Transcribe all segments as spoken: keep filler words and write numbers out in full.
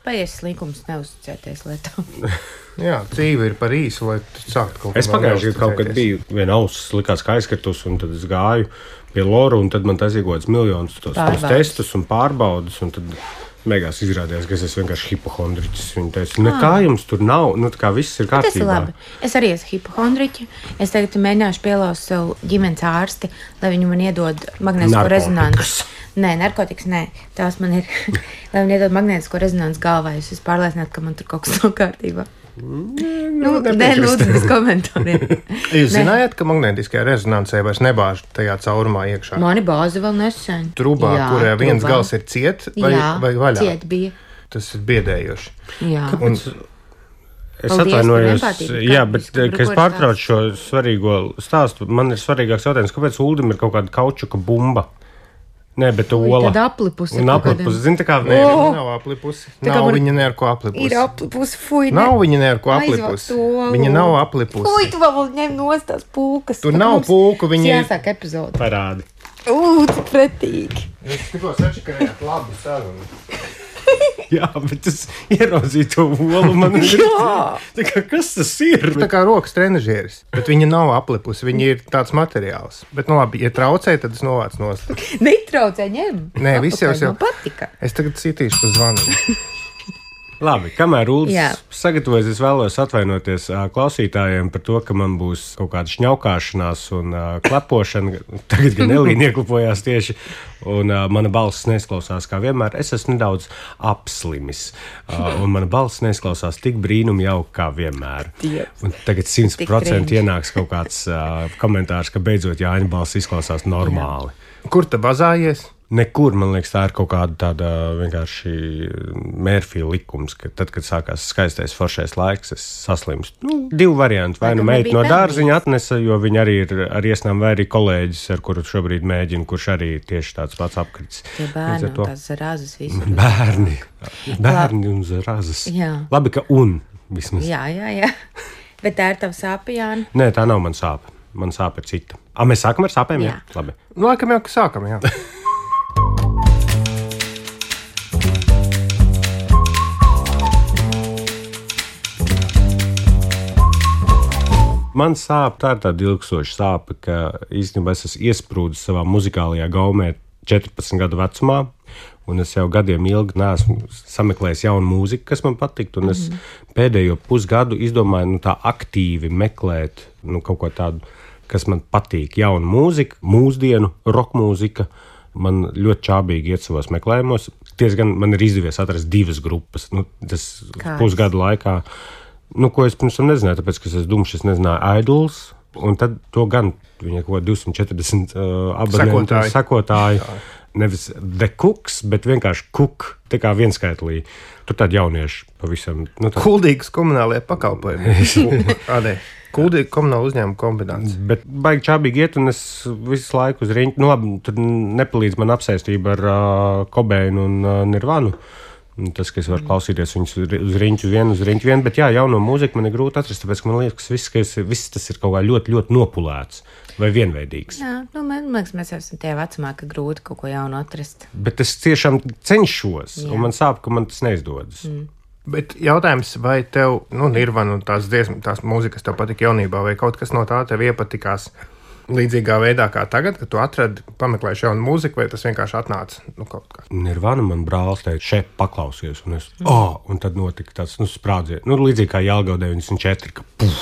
Paies slinkums neuzticēties lietām. Jā, dzīve ir par īsu, lai sāktu kaut ko. Es pagājuši gadu kaut kad biju viena auss likās kā aizkritus, un tad es gāju pie Loru, un tad man tas iegodas miljonus tos, tos testus un pārbaudas, un tad beigās izrādījās, ka es esmu vienkārši hipohondriķis. Viņa teica, nekā jums tur nav, nu tā kā viss ir kārtībā. Tas ir labi. Es arī esmu hipohondriķi. Es tagad mēģināšu pielauzt sev ģimenes ārsti, lai viņi man iedod magnētisko rezonanci. Nē, narkotikas, nē. Tās man ir, lai viņi iedod magnētisko rezonanci galvā, es esmu pārliecināta, ka man tur kaut kas nav kārtībā. Nu, nē, lūdzu, bez komentāriem. Jūs zinājāt, ka magnētiskajā rezonancē vairs nebāž tajā caurumā iekšā? Mani bāzi vēl nesen. Trubā, jā, kurā viens trubā. Gals ir ciet vai, jā, vai vaļā? Ciet bija. Tas ir biedējoši. Jā. Un, es atvainojos, jā, bet, ka es pārtraucu šo svarīgo stāstu, man ir svarīgāks jautājums, kāpēc Uldim ir kaut kāda kaučuka bumba? Nē, bet ola. Tad aplipusi. Un aplipusi, zini, tā kā... Nē, oh! Nav aplipusi. Nav man... viņa ne ar ko aplipusi. Ir aplipusi, fuj. Ne. Nav viņa ne ar ko aplipusi. Viņa nav aplipusi. Fuj, tu vēl ņem nost tās pūkas. Tur nav pūku, viņa... Jāsāk epizodi. Parādi. Ū, cik pretīgi. Es tikko sačakarējāt labu sarunu. Jā, bet es ieraudzīju to olu, man ir... Tā kā, kas tas ir? Tā kā rokas trenažieris, bet viņa nav aplipusi, viņa ir tāds materiāls. Bet, nu labi, ja traucē, tad es novācu nost. Netraucē, ņem. Nē, viss jau jau... patika. Es tagad citīšu pa zvanu. Labi, kamēr Uldis sagatavojas, es vēlos atvainoties uh, klausītājiem par to, ka man būs kaut kāda šņaukāšanās un uh, klepošana. Tagad gan Elīna ieklapojās tieši, un uh, mana balss neizklausās kā vienmēr. Es esmu nedaudz apslimis, uh, un mana balss neizklausās tik brīnum jau kā vienmēr. Un tagad simt procenti ienāks kaut kāds uh, komentārs, ka beidzot Jāņa balss izklausās normāli. Jā. Kur tu bazājies? Nekur, man liekas, tā ir kaut kāda tāda vienkārši Mērfija likums, ka tad, kad sākās skaistais foršais laiks, es saslimstu. Nu, divi varianti. Vai nu meita no dārziņa atnesa, jo viņa arī ir ar iesnām, vai arī kolēģis, ar kuru šobrīd mēģina, kurš arī tieši tāds pats apkrits. Tie bērni un tās zarazas visi. Bērni. Bērni un zarazas. Jā. Labi, ka un vismaz. Jā, jā, jā. Bet tā ir tava sāpe, Jāni? Nē, tā nav man sāpe. Man sāpe ir cita. A, mēs sākam ar sāpēm? Jā. Jā? Labi. Nu, laikam jau, ka sākam, jā. Man sāp, tā ir tāda ilgstoša sāpe, ka īstenībā es esmu iesprūdis savā muzikālajā gaumē četrpadsmit gadu vecumā, un es jau gadiem ilgi neesmu sameklējis jaunu mūziku, kas man patiktu, un es mm-hmm. pēdējo pusgadu izdomāju nu, tā aktīvi meklēt nu, kaut ko tādu, kas man patīk. Jauna mūzika, mūsdienu, rockmūzika, man ļoti čābīgi iet savos meklējumos. Tiesa gan man ir izdevies atrast divas grupas, nu, tas Kāds? pusgadu laikā. Nu, ko es pirms tam nezināju, tāpēc, ka es esmu dumšs, es nezināju Idols, un tad to gan viņa kaut divsimt četrdesmit uh, abonentu sakotāji. sakotāji. Nevis The Cooks, bet vienkārši Cook, tā kā vienskaitlī. Tur tādi jaunieši pavisam. Nu, tā... Kuldīgas komunālajie pakalpojumi. Kādē? Kuldīga komunāla uzņēmuma kombinācija. Bet baigi čābīgi iet, un es visu laiku uz riņķi, nu labi, tad nepalīdz man apsaistība ar uh, Cobainu un uh, Nirvanu. Tas, ka es varu klausīties viņus uz riņķu vienu, uz riņķu vienu, bet jā, jauno mūziku man ir grūti atrast, tāpēc, ka man liekas, ka viss, ka es, viss tas ir kaut kā ļoti, ļoti nopulēts vai vienveidīgs. Jā, nu, man liekas, mēs esam tie vecumā, ka grūti kaut ko jaunu atrast. Bet es tiešām cenšos, jā. Un man sāp, ka man tas neizdodas. Mm. Bet jautājums, vai tev, nu, Nirvana un tās dziesmas, tās mūzikas tev patika jaunībā, vai kaut kas no tā tev iepatikās līdzīgā veidā kā tagad, kad tu atradi, pameklēji jaunu mūziku, vai tas vienkārši atnāca nu, kaut kā? Nirvana man brālis teica, šeit paklausies, un es, mm. oh, un tad notika tāds, nu, sprādziens, nu, līdzīgi kā Jelgava deviņdesmit četri, ka puf,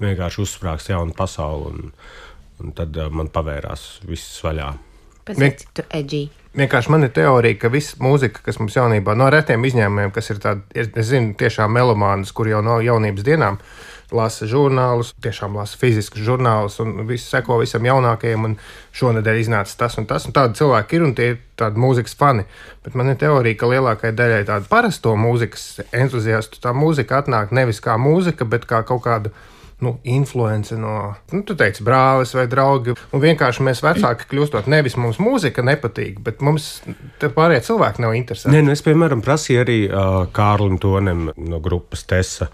vienkārši uzsprāgs jaunu pasauli, un, un tad uh, man pavērās viss vaļā. Pēc Vien... tu edgy. Vienkārši man ir teorija, ka viss mūzika, kas mums jaunībā, no retiem izņēmumiem, kas ir tādi, es, es zinu, tiešām melomānas, kur jau no jaunības dienām lasa žurnālus, tiešām lasa fiziskus žurnālus un visu seko visam jaunākajam, un šonedēļ iznāca tas un tas, un tādi cilvēki ir, un tie ir tādi mūzikas fani. Bet man ir teorija, ka lielākajai daļai tādu parasto mūzikas entuziastu tā mūzika atnāk nevis kā mūzika, bet kā kaut kāda, nu, influence no, nu, tu teici, brālis vai draugi. Un vienkārši mēs vecāki kļūstot, nevis mums mūzika nepatīk, bet mums te pārējie cilvēki nav interesanti. Nē, nu es, piemēram, prasīju arī uh, Kārlim Tonem no grupas Tesa,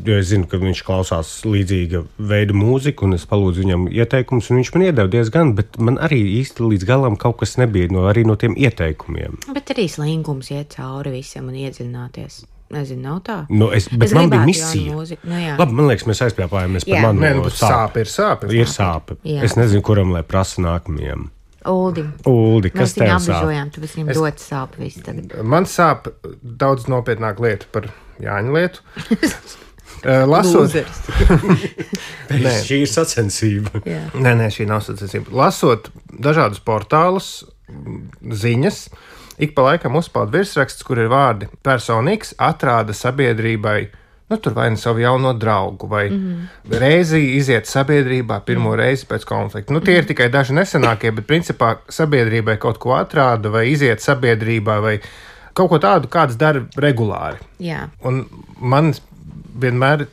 jo es zinu, ka viņš klausās līdzīga veida mūziku, un es palūdzu viņam ieteikumus, un viņš man iedeva diezgan, bet man arī īsti līdz galam kaut kas nebija no, arī no tiem ieteikumiem. Bet arī slingums iet cauri visam un iedziļināties. Nezinu, nav tā. Nu, es, bet es man bija misija. Nu, Labi, man liekas, mēs aizpļāpājāmies par manu Nē, nu, sāpe ir sāpe. Ir sāpe. Jā. Es nezinu, kuram lai prasa nākamajam. Uldi. Uldi, kas tev sāp? Mēs viņu apbežojām, tu viņam es... dot sāpe visu tagad. Man sāp daudz nopietnāk lieta par Jāņu lietu. Lasot, nē, šī ir sacensība. Jā. Nē, nē, šī nav sacensība. Lasot dažādus portālus, ziņas, ik pa laikam uzpeld virsraksts, kur ir vārdi personīgs, atrāda sabiedrībai, nu, tur vai ne savu jauno draugu, vai mm-hmm. reizi iziet sabiedrībā pirmo mm-hmm. reizi pēc konflikta. Nu, tie ir tikai daži nesenākie, bet principā sabiedrībai kaut ko atrāda, vai iziet sabiedrībā, vai kaut ko tādu, kāds dara regulāri. Jā. Un man vienmēr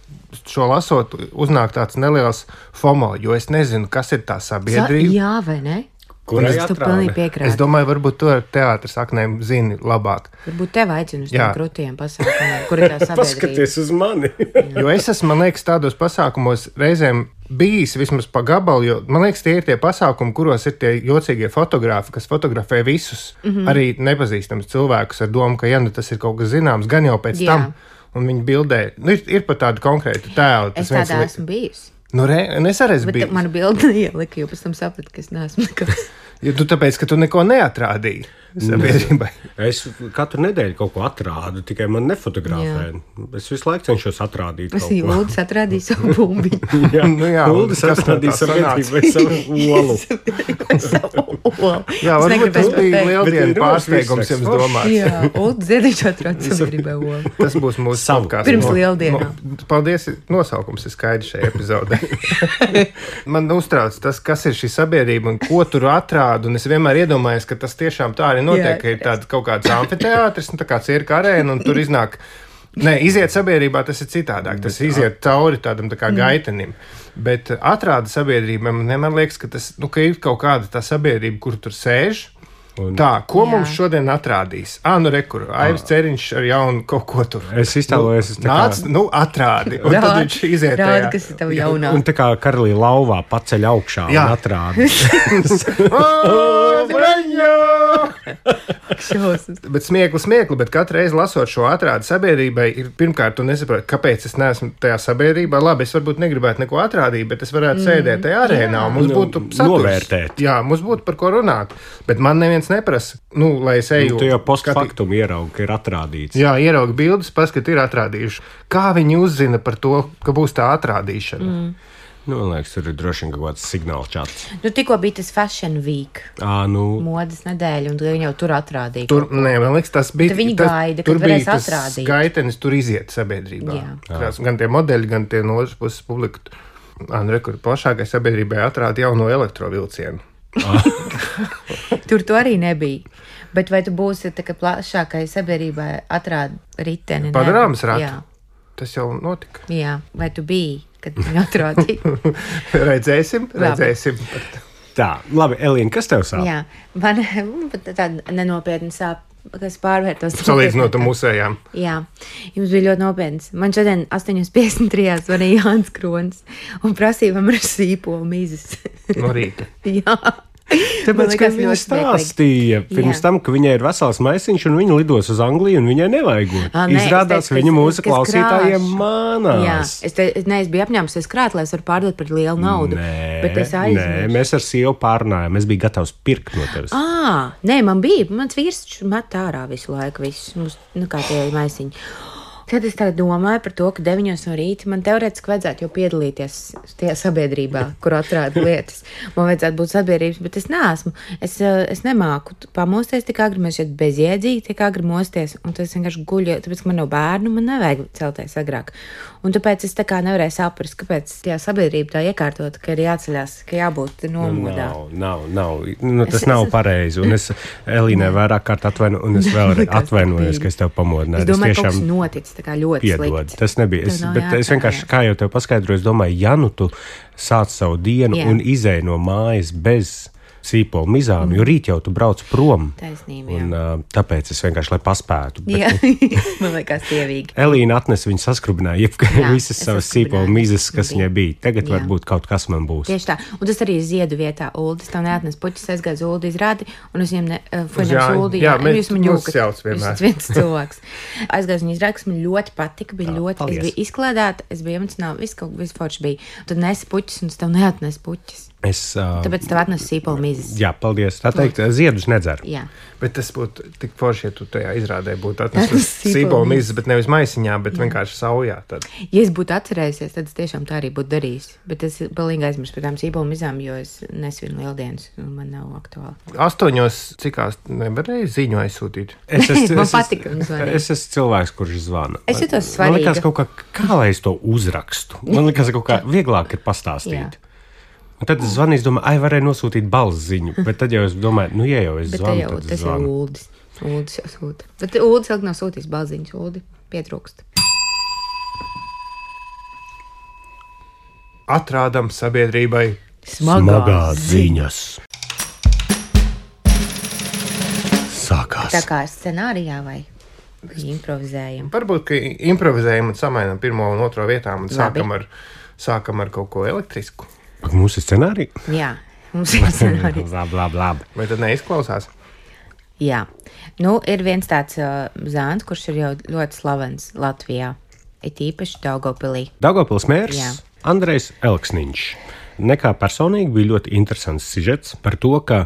šo lasot, uznāk tāds neliels FOMO, jo es nezinu, kas ir tā sabiedrība. Sa- jā, vai ne? Kurai es tu pilnīgi piekrātu. Es domāju, varbūt to ar teātras saknēm zini labāk. Varbūt tev aicinu uz tiem krutiem pasākumiem, kur ir tā sabiedrība. Paskaties uz mani. Jo es esmu, man liekas, tādos pasākumos reizēm bijis vismaz pa gabalu, jo man liekas, tie ir tie pasākumi, kuros ir tie jocīgie fotografi, kas fotografē visus, mm-hmm. arī nepazīstams cilvēkus ar domu, ka, ja nu tas ir kaut kas zināms, gan jau pēc Jā. tam. Un viņi bildē, nu, ir, ir pat tādu konkrētu tēlu. Es tādā li... esmu bijusi. Nu, re, es arī esmu bijusi. Bet manu bildi ielika, jo pēc tam sapratu, ka es neesmu nekas. Jo tu tāpēc, ka tu neko neatrādīji sabiedrībai. Es katru nedēļu kaut ko atrādu, tikai man nefotografē. Jā. Es visu laiku cenšos atrādīt es kaut ko. Uldis atrādīja savu bumbiņu. jā, nu jā, Uldis atrādīja sabiedrībai savu olu. savu olu. Jā, varbūt tas bija lieldienu pārsteigums jums domāt. Jā, Uldis Ziediņš atrādīja sabiedrībai olu. Tas būs mūsu podcasts. Pirms lieldienām. No, paldies, nosaukums ir skaidrs šajā epizodē. Man uztrauc tas, kas ir šī sabiedrība un ko tur atrāda, un es vienmēr iedomājos, ka tas tiešām tā arī notiek, ka ir tāds kaut kāds amfiteātris, tā kā cirka arēna, un tur iznāk, ne, iziet sabiedrībā, tas ir citādāk, tas iziet cauri tādam tā kā gaitenim, bet atrāda sabiedrība, man liekas, ka tas, nu, ka ir kaut kāda tā sabiedrība, kur tur sēž. Un... Tā, ko Jā. mums šodien atrādīs? Ā, nu rekur, Aivis Ceriņš ar jaunu kaut ko tur. Es iztēlojos, es tā kā... Nāc, nu, atrādi, un tad viņš iziet tajā. Rādi, kas ir tavu jaunā. Un tā kā karalī lauvā paceļ augšā Jā. un atrādi. Bet smiekli, smiekli, bet katru reizi lasot šo atrādi sabiedrībai, ir pirmkārt, tu nesaproti, kāpēc es neesmu tajā sabiedrībā. Labi, es varbūt negribētu neko atrādīt, bet es varētu mm. sēdēt tajā arēnā, un mums būtu saturs. Novērtēt. Jā, mums būtu par ko runāt. Bet man neviens neprasa, nu, lai es eju. Nu, tu jau postfaktum ieraugi, ka ir atrādīts. Jā, ieraugi bildes, paskat, ir atrādījuši. Kā viņi uzzina par to, ka būs tā atrādīšana? Mm. Nu, man liekas, tur ir droši vien kaut kāds signāls čats. Nu, tikko bija tas Fashion Week. Ā, nu. Modes nedēļa, un viņi jau tur atrādīja. Tur, nē, man liekas, tas bija. Tad viņi tas, gaida, kad varēs atrādīt. Tur bija tas gaitenis, tur iziet sabiedrībā. Jā. Krās, gan tie modeļi, gan tie no otras puses publika. Anu rekur, plašākai sabiedrībai atrāda jauno elektrovilcienu. Tur to arī nebija. Bet vai tu būsi tā kā plašākai sabiedrībai atrāda riteni? Padarāmas ratu. Jā. Tas jau notika. Jā, vai tu biji, kad viņi atrādīja? redzēsim, redzēsim. Tā, labi, Elīna, kas tev sāp? Jā, man tāda nenopietna sāp, kas pārvērtos. Salīdzinot ar musējām. Jā, jums bija ļoti nopietns. Man šodien astoņi piecdesmit trīs zvanīja Jānis Kronis un prasīja, vai man ir sīpola mizas. No rīta. Jā. Tāpēc, ka viņa stāstīja pirms Jā. tam, ka viņai ir vesels maisiņš un viņa lidos uz Angliju un viņai nevajagot. A, ne, Izrādās, teicu, viņa kas, mūsu kas klausītājiem krāš. mānās. Jā, es, te, ne, es biju apņēmusies krāt, lai es varu pārdot par lielu naudu. Nē, bet es aizmirsu. Nē, mēs ar sievu pārnājām. Es biju gatavs pirkt no tevis. Ā, nē, man bija. Mans vīrs met ārā visu laiku visus. Mums, nu kā tie maisiņi. Tad es tagad domāju par to, ka deviņos no rīta man teorētiski vajadzētu jau piedalīties tajā sabiedrībā, kur atrāda lietas. Man vajadzētu būt sabiedrības, bet es neesmu. Es, es nemāku pamosties tik agri, man šeit bezjēdzīgi tik agri mosties, un tas vienkārši guļu, tāpēc, ka man nav bērnu, man nevajag celties agrāk. Un tāpēc es tā kā nevarēju saprast, kāpēc tajā sabiedrība tā iekārtot, ka ir jāceļās, ka jābūt nomodā. Nav, nav, nav. Nu, tas es, nav es, pareizi, un es Elīnai vairāk kārt atvainu, un es vēl atvainojos, ka es tev pamodināju. Es domāju, ka kaut kas noticis. tā kā ļoti Piedod, slikti. tas nebija. Es, bet jāatcerās. es vienkārši, kā jau tev paskaidroju, es domāju, ja nu tu sāc savu dienu Jā. un izēj no mājas bez sīpola mizām, mm. jo rīt jau tu brauc prom. Taisnība, jā. Un, uh, tāpēc es vienkārši, lai paspētu. Bet, Jā, man liekas tievīgi. Elīna atnesa, viņa saskrubināja jebkā visas es savas saskrubināju, sīpola mizas, kas bija. viņai bija. Tagad Jā. varbūt kaut kas man būs. Tieši tā. Un tas arī ziedu vietā. Uldis tev neatnes puķis, aizgāja uz Uldi izrādi, un es viņam ne, uh, Jā, Uldi, jā, mēs- jūs man mūs jūkat. jauc vienmēr. Jūs esat viens cilvēks. Aizgāju uz viņu izrādi, kas man ļoti patika, bija Jā, ļoti, paldies. es biju izklēdēta, es biju emocionāli, viss kaut viss forši bija. Tad nesi puķis, un es tev neatnes puķis. Es, uh, Tāpēc tev atnes sīpola mizas. jā, paldies. Tā teikt, ziedus nedzeru. Jā. Bet tas būtu tik forši, ja tu tajā izrādē būtu atnesis Sīpolu sīpolu mizas. mizas, bet nevis maisiņā, bet vienkārši saujā. Tad. Ja es būtu atcerējusies, tad es tiešām tā arī būtu darījis. Bet es pilnīgi aizmirsu par tām sīpola mizām, jo es nesvinu lieldienas, un man nav aktuāli. Astoņos cikās nevarēja ziņu aizsūtīt. Es esmu, Man es patika esmu- viņu zvanīt. Es esmu cilvēks, kurš zvana. Es jutos Man svarīga. liekas, kaut kā, kā lai es to uzrakstu. Man liekas, kaut kā vieglāk ir pastāstīt. Jā. Un tad es zvanīju, es domāju, ai, varēja nosūtīt balss ziņu. Bet tad jau es domāju, nu, ja jau es Bet te zvanu, jau, tad es tas jau zvanu. Uldis. Uldis jau sūta. Bet Uldis ilgi nav sūtījis balziņas. Uldi pietrūkst. Atrādam sabiedrībai. Smagās ziņas. Sākās. Tā kā scenārijā vai improvizējam. Varbūt, ka improvizējam un samainam pirmo un otro vietām un Labi. sākam ar, sākam ar kaut ko elektrisku. Mums ir scenārija? Jā, mums ir scenārijs. Labi, labi, labi. Vai tad neizklausās? Jā. Nu, ir viens tāds uh, zāns, kurš ir jau ļoti slavens Latvijā. It īpaši Daugavpilī. Daugavpils mērs Jā. Andrejs Elksniņš. Nekā personīgi bija ļoti interesants sižets par to, ka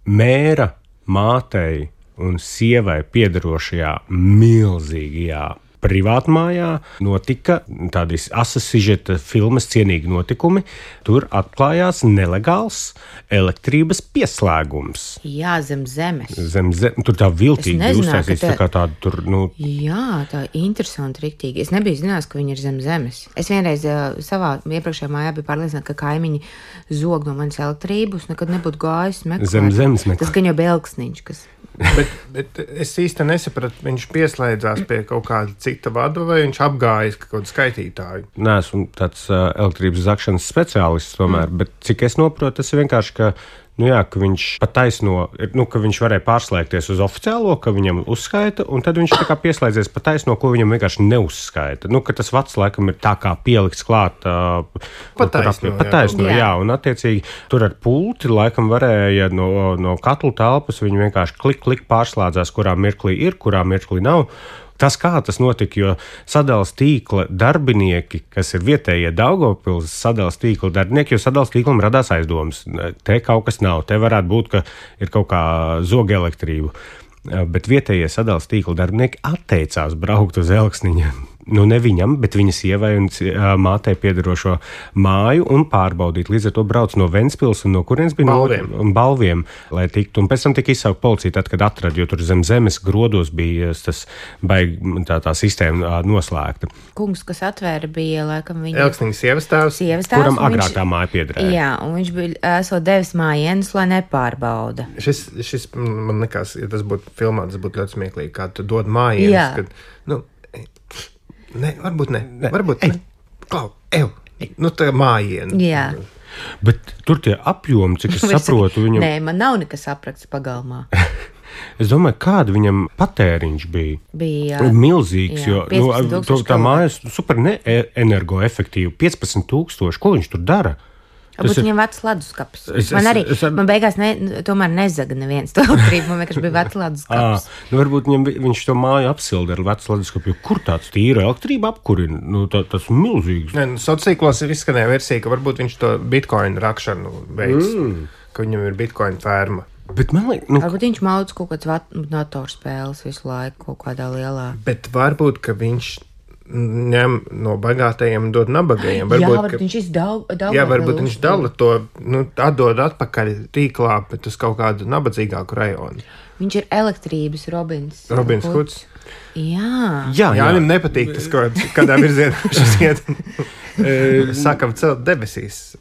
mēra mātei un sievai piederošajā milzīgajā privātmājā notika tādas asas sižeta filmas cienīgi notikumi. Tur atklājās nelegāls elektrības pieslēgums. Jā, zem zemes. Zem zem, tur tā viltīgi Es nezināju, uztaisīts, ka te- tā kā tāda tur, nu, Jā, tā ir interesanti, riktīgi. Es nebiju zinājis, ka viņi ir zem zemes. Es vienreiz uh, savā iepriekšējā mājā biju pārliecināta, ka kaimiņi zog no manas elektrības, nekad nebūtu gājis meklēt. Zem zemes meklēt. Tas gan jau bija Elksniņš, kas Bet, bet es īsti nesapratu, viņš pieslēdzās pie kaut kāda cita vada vai viņš apgājis kaut kādu skaitītāju. Nē, esmu tāds uh, elektrības zakšanas speciālists, tomēr, mm. bet cik es saprotu, tas ir vienkārši, ka, nu jā, ka viņš pataisno, nu, ka viņš varēja pārslēgties uz oficiālo, ka viņam uzskaita, un tad viņš tā kā pieslēdzies pataisno, ko viņam vienkārši neuzskaita. Nu, ka tas vats laikam ir tā kā pielikts klāt. Uh, Pataisno, jā. pataisno, jā. Jā. jā, un attiecīgi tur ar pulti laikam varēja no, no katlu telpas viņi vienkārši klik, klik pārslēdzās, kurā mirklī ir, kurā mirklī nav. Tas, kā tas notika, jo sadales tīkla darbinieki, kas ir vietējie Daugavpils sadales tīkla darbinieki, jo sadales tīklam radās aizdomas. Te kaut kas nav, te varētu būt, ka ir kaut kā zoga elektrība. Bet vietējie sadales tīkla darbinieki atteicās braukt uz Elksniņa. Nu, ne viņam, bet viņa sievai un uh, mātei piederošo māju un pārbaudīt. Līdz ar to brauc no Ventspils un no kurienes bija Balviem. no Balviem, lai tiktu. Un pēc tam tika izsaukt policija, tad, kad atrada, jo tur zem zemes grodos bija tas baigi, tā, tā sistēma uh, noslēgta. kungs, kas atvēra, bija laikam viņa Elksniņas sievas tēvs. sievas tēvs. Kuram un agrāk viņš- tā māja piederēja. Jā, un viņš bija esot devis mājienus, lai nepārbauda. Šis, šis man liekas, ja tas būtu filmā, tas būtu ļoti smieklīgi, kā tu dod mājienas. Jā. Kad, nu, ne, varbūt ne, varbūt ne. Klau, ev, nu tā mājiena. Jā. Bet tur tie apjomi, cik es saprotu, viņam. Nē, man nav nekas apraksts pagalmā. Es domāju, kāda viņam patēriņš bija. Bija Milzīgs, jā, jo nu, piecpadsmit to, tūkstoši tā kilovatu. māja ir super energoefektīva. piecpadsmit tūkstoši. Ko viņš tur dara? Varbūt ir- viņam vecs leduskapis. Es- Man es- arī, es ar- man beigās ne, tomēr nezaga neviens to elektrību. Man vienkārši bija vecs À, leduskapis. nu varbūt viņam, vi- viņš to māju apsilda ar vecu leduskapu. Jo Kur tāds tīra elektrība apkurina? Nu, tā, tas ir milzīgs. Ne, nu, sociālos tīklos ir izskanēja versija, ka varbūt viņš to bitkoinu rakšanu veids, mm. ka viņam ir bitkoinu ferma. Bet man liekas, nu, Varbūt viņš maudz kaut kādas datorspēles visu laiku kaut kādā lielā. Bet varbūt, ka viņš ņem no bagātajiem un dod nabagajiem. Jā, Varbūt, varbūt ka, viņš izdaug, jā, varbūt viņš dala to, nu, atdod atpakaļ tīklā, bet uz kaut kādu nabadzīgāku rajonu. Viņš ir elektrības Robins. Robins Huds. Jā, jā, jā. Viņam nepatīk tas, ko, kādā virzienā šis iet. Sākam celt debesīs.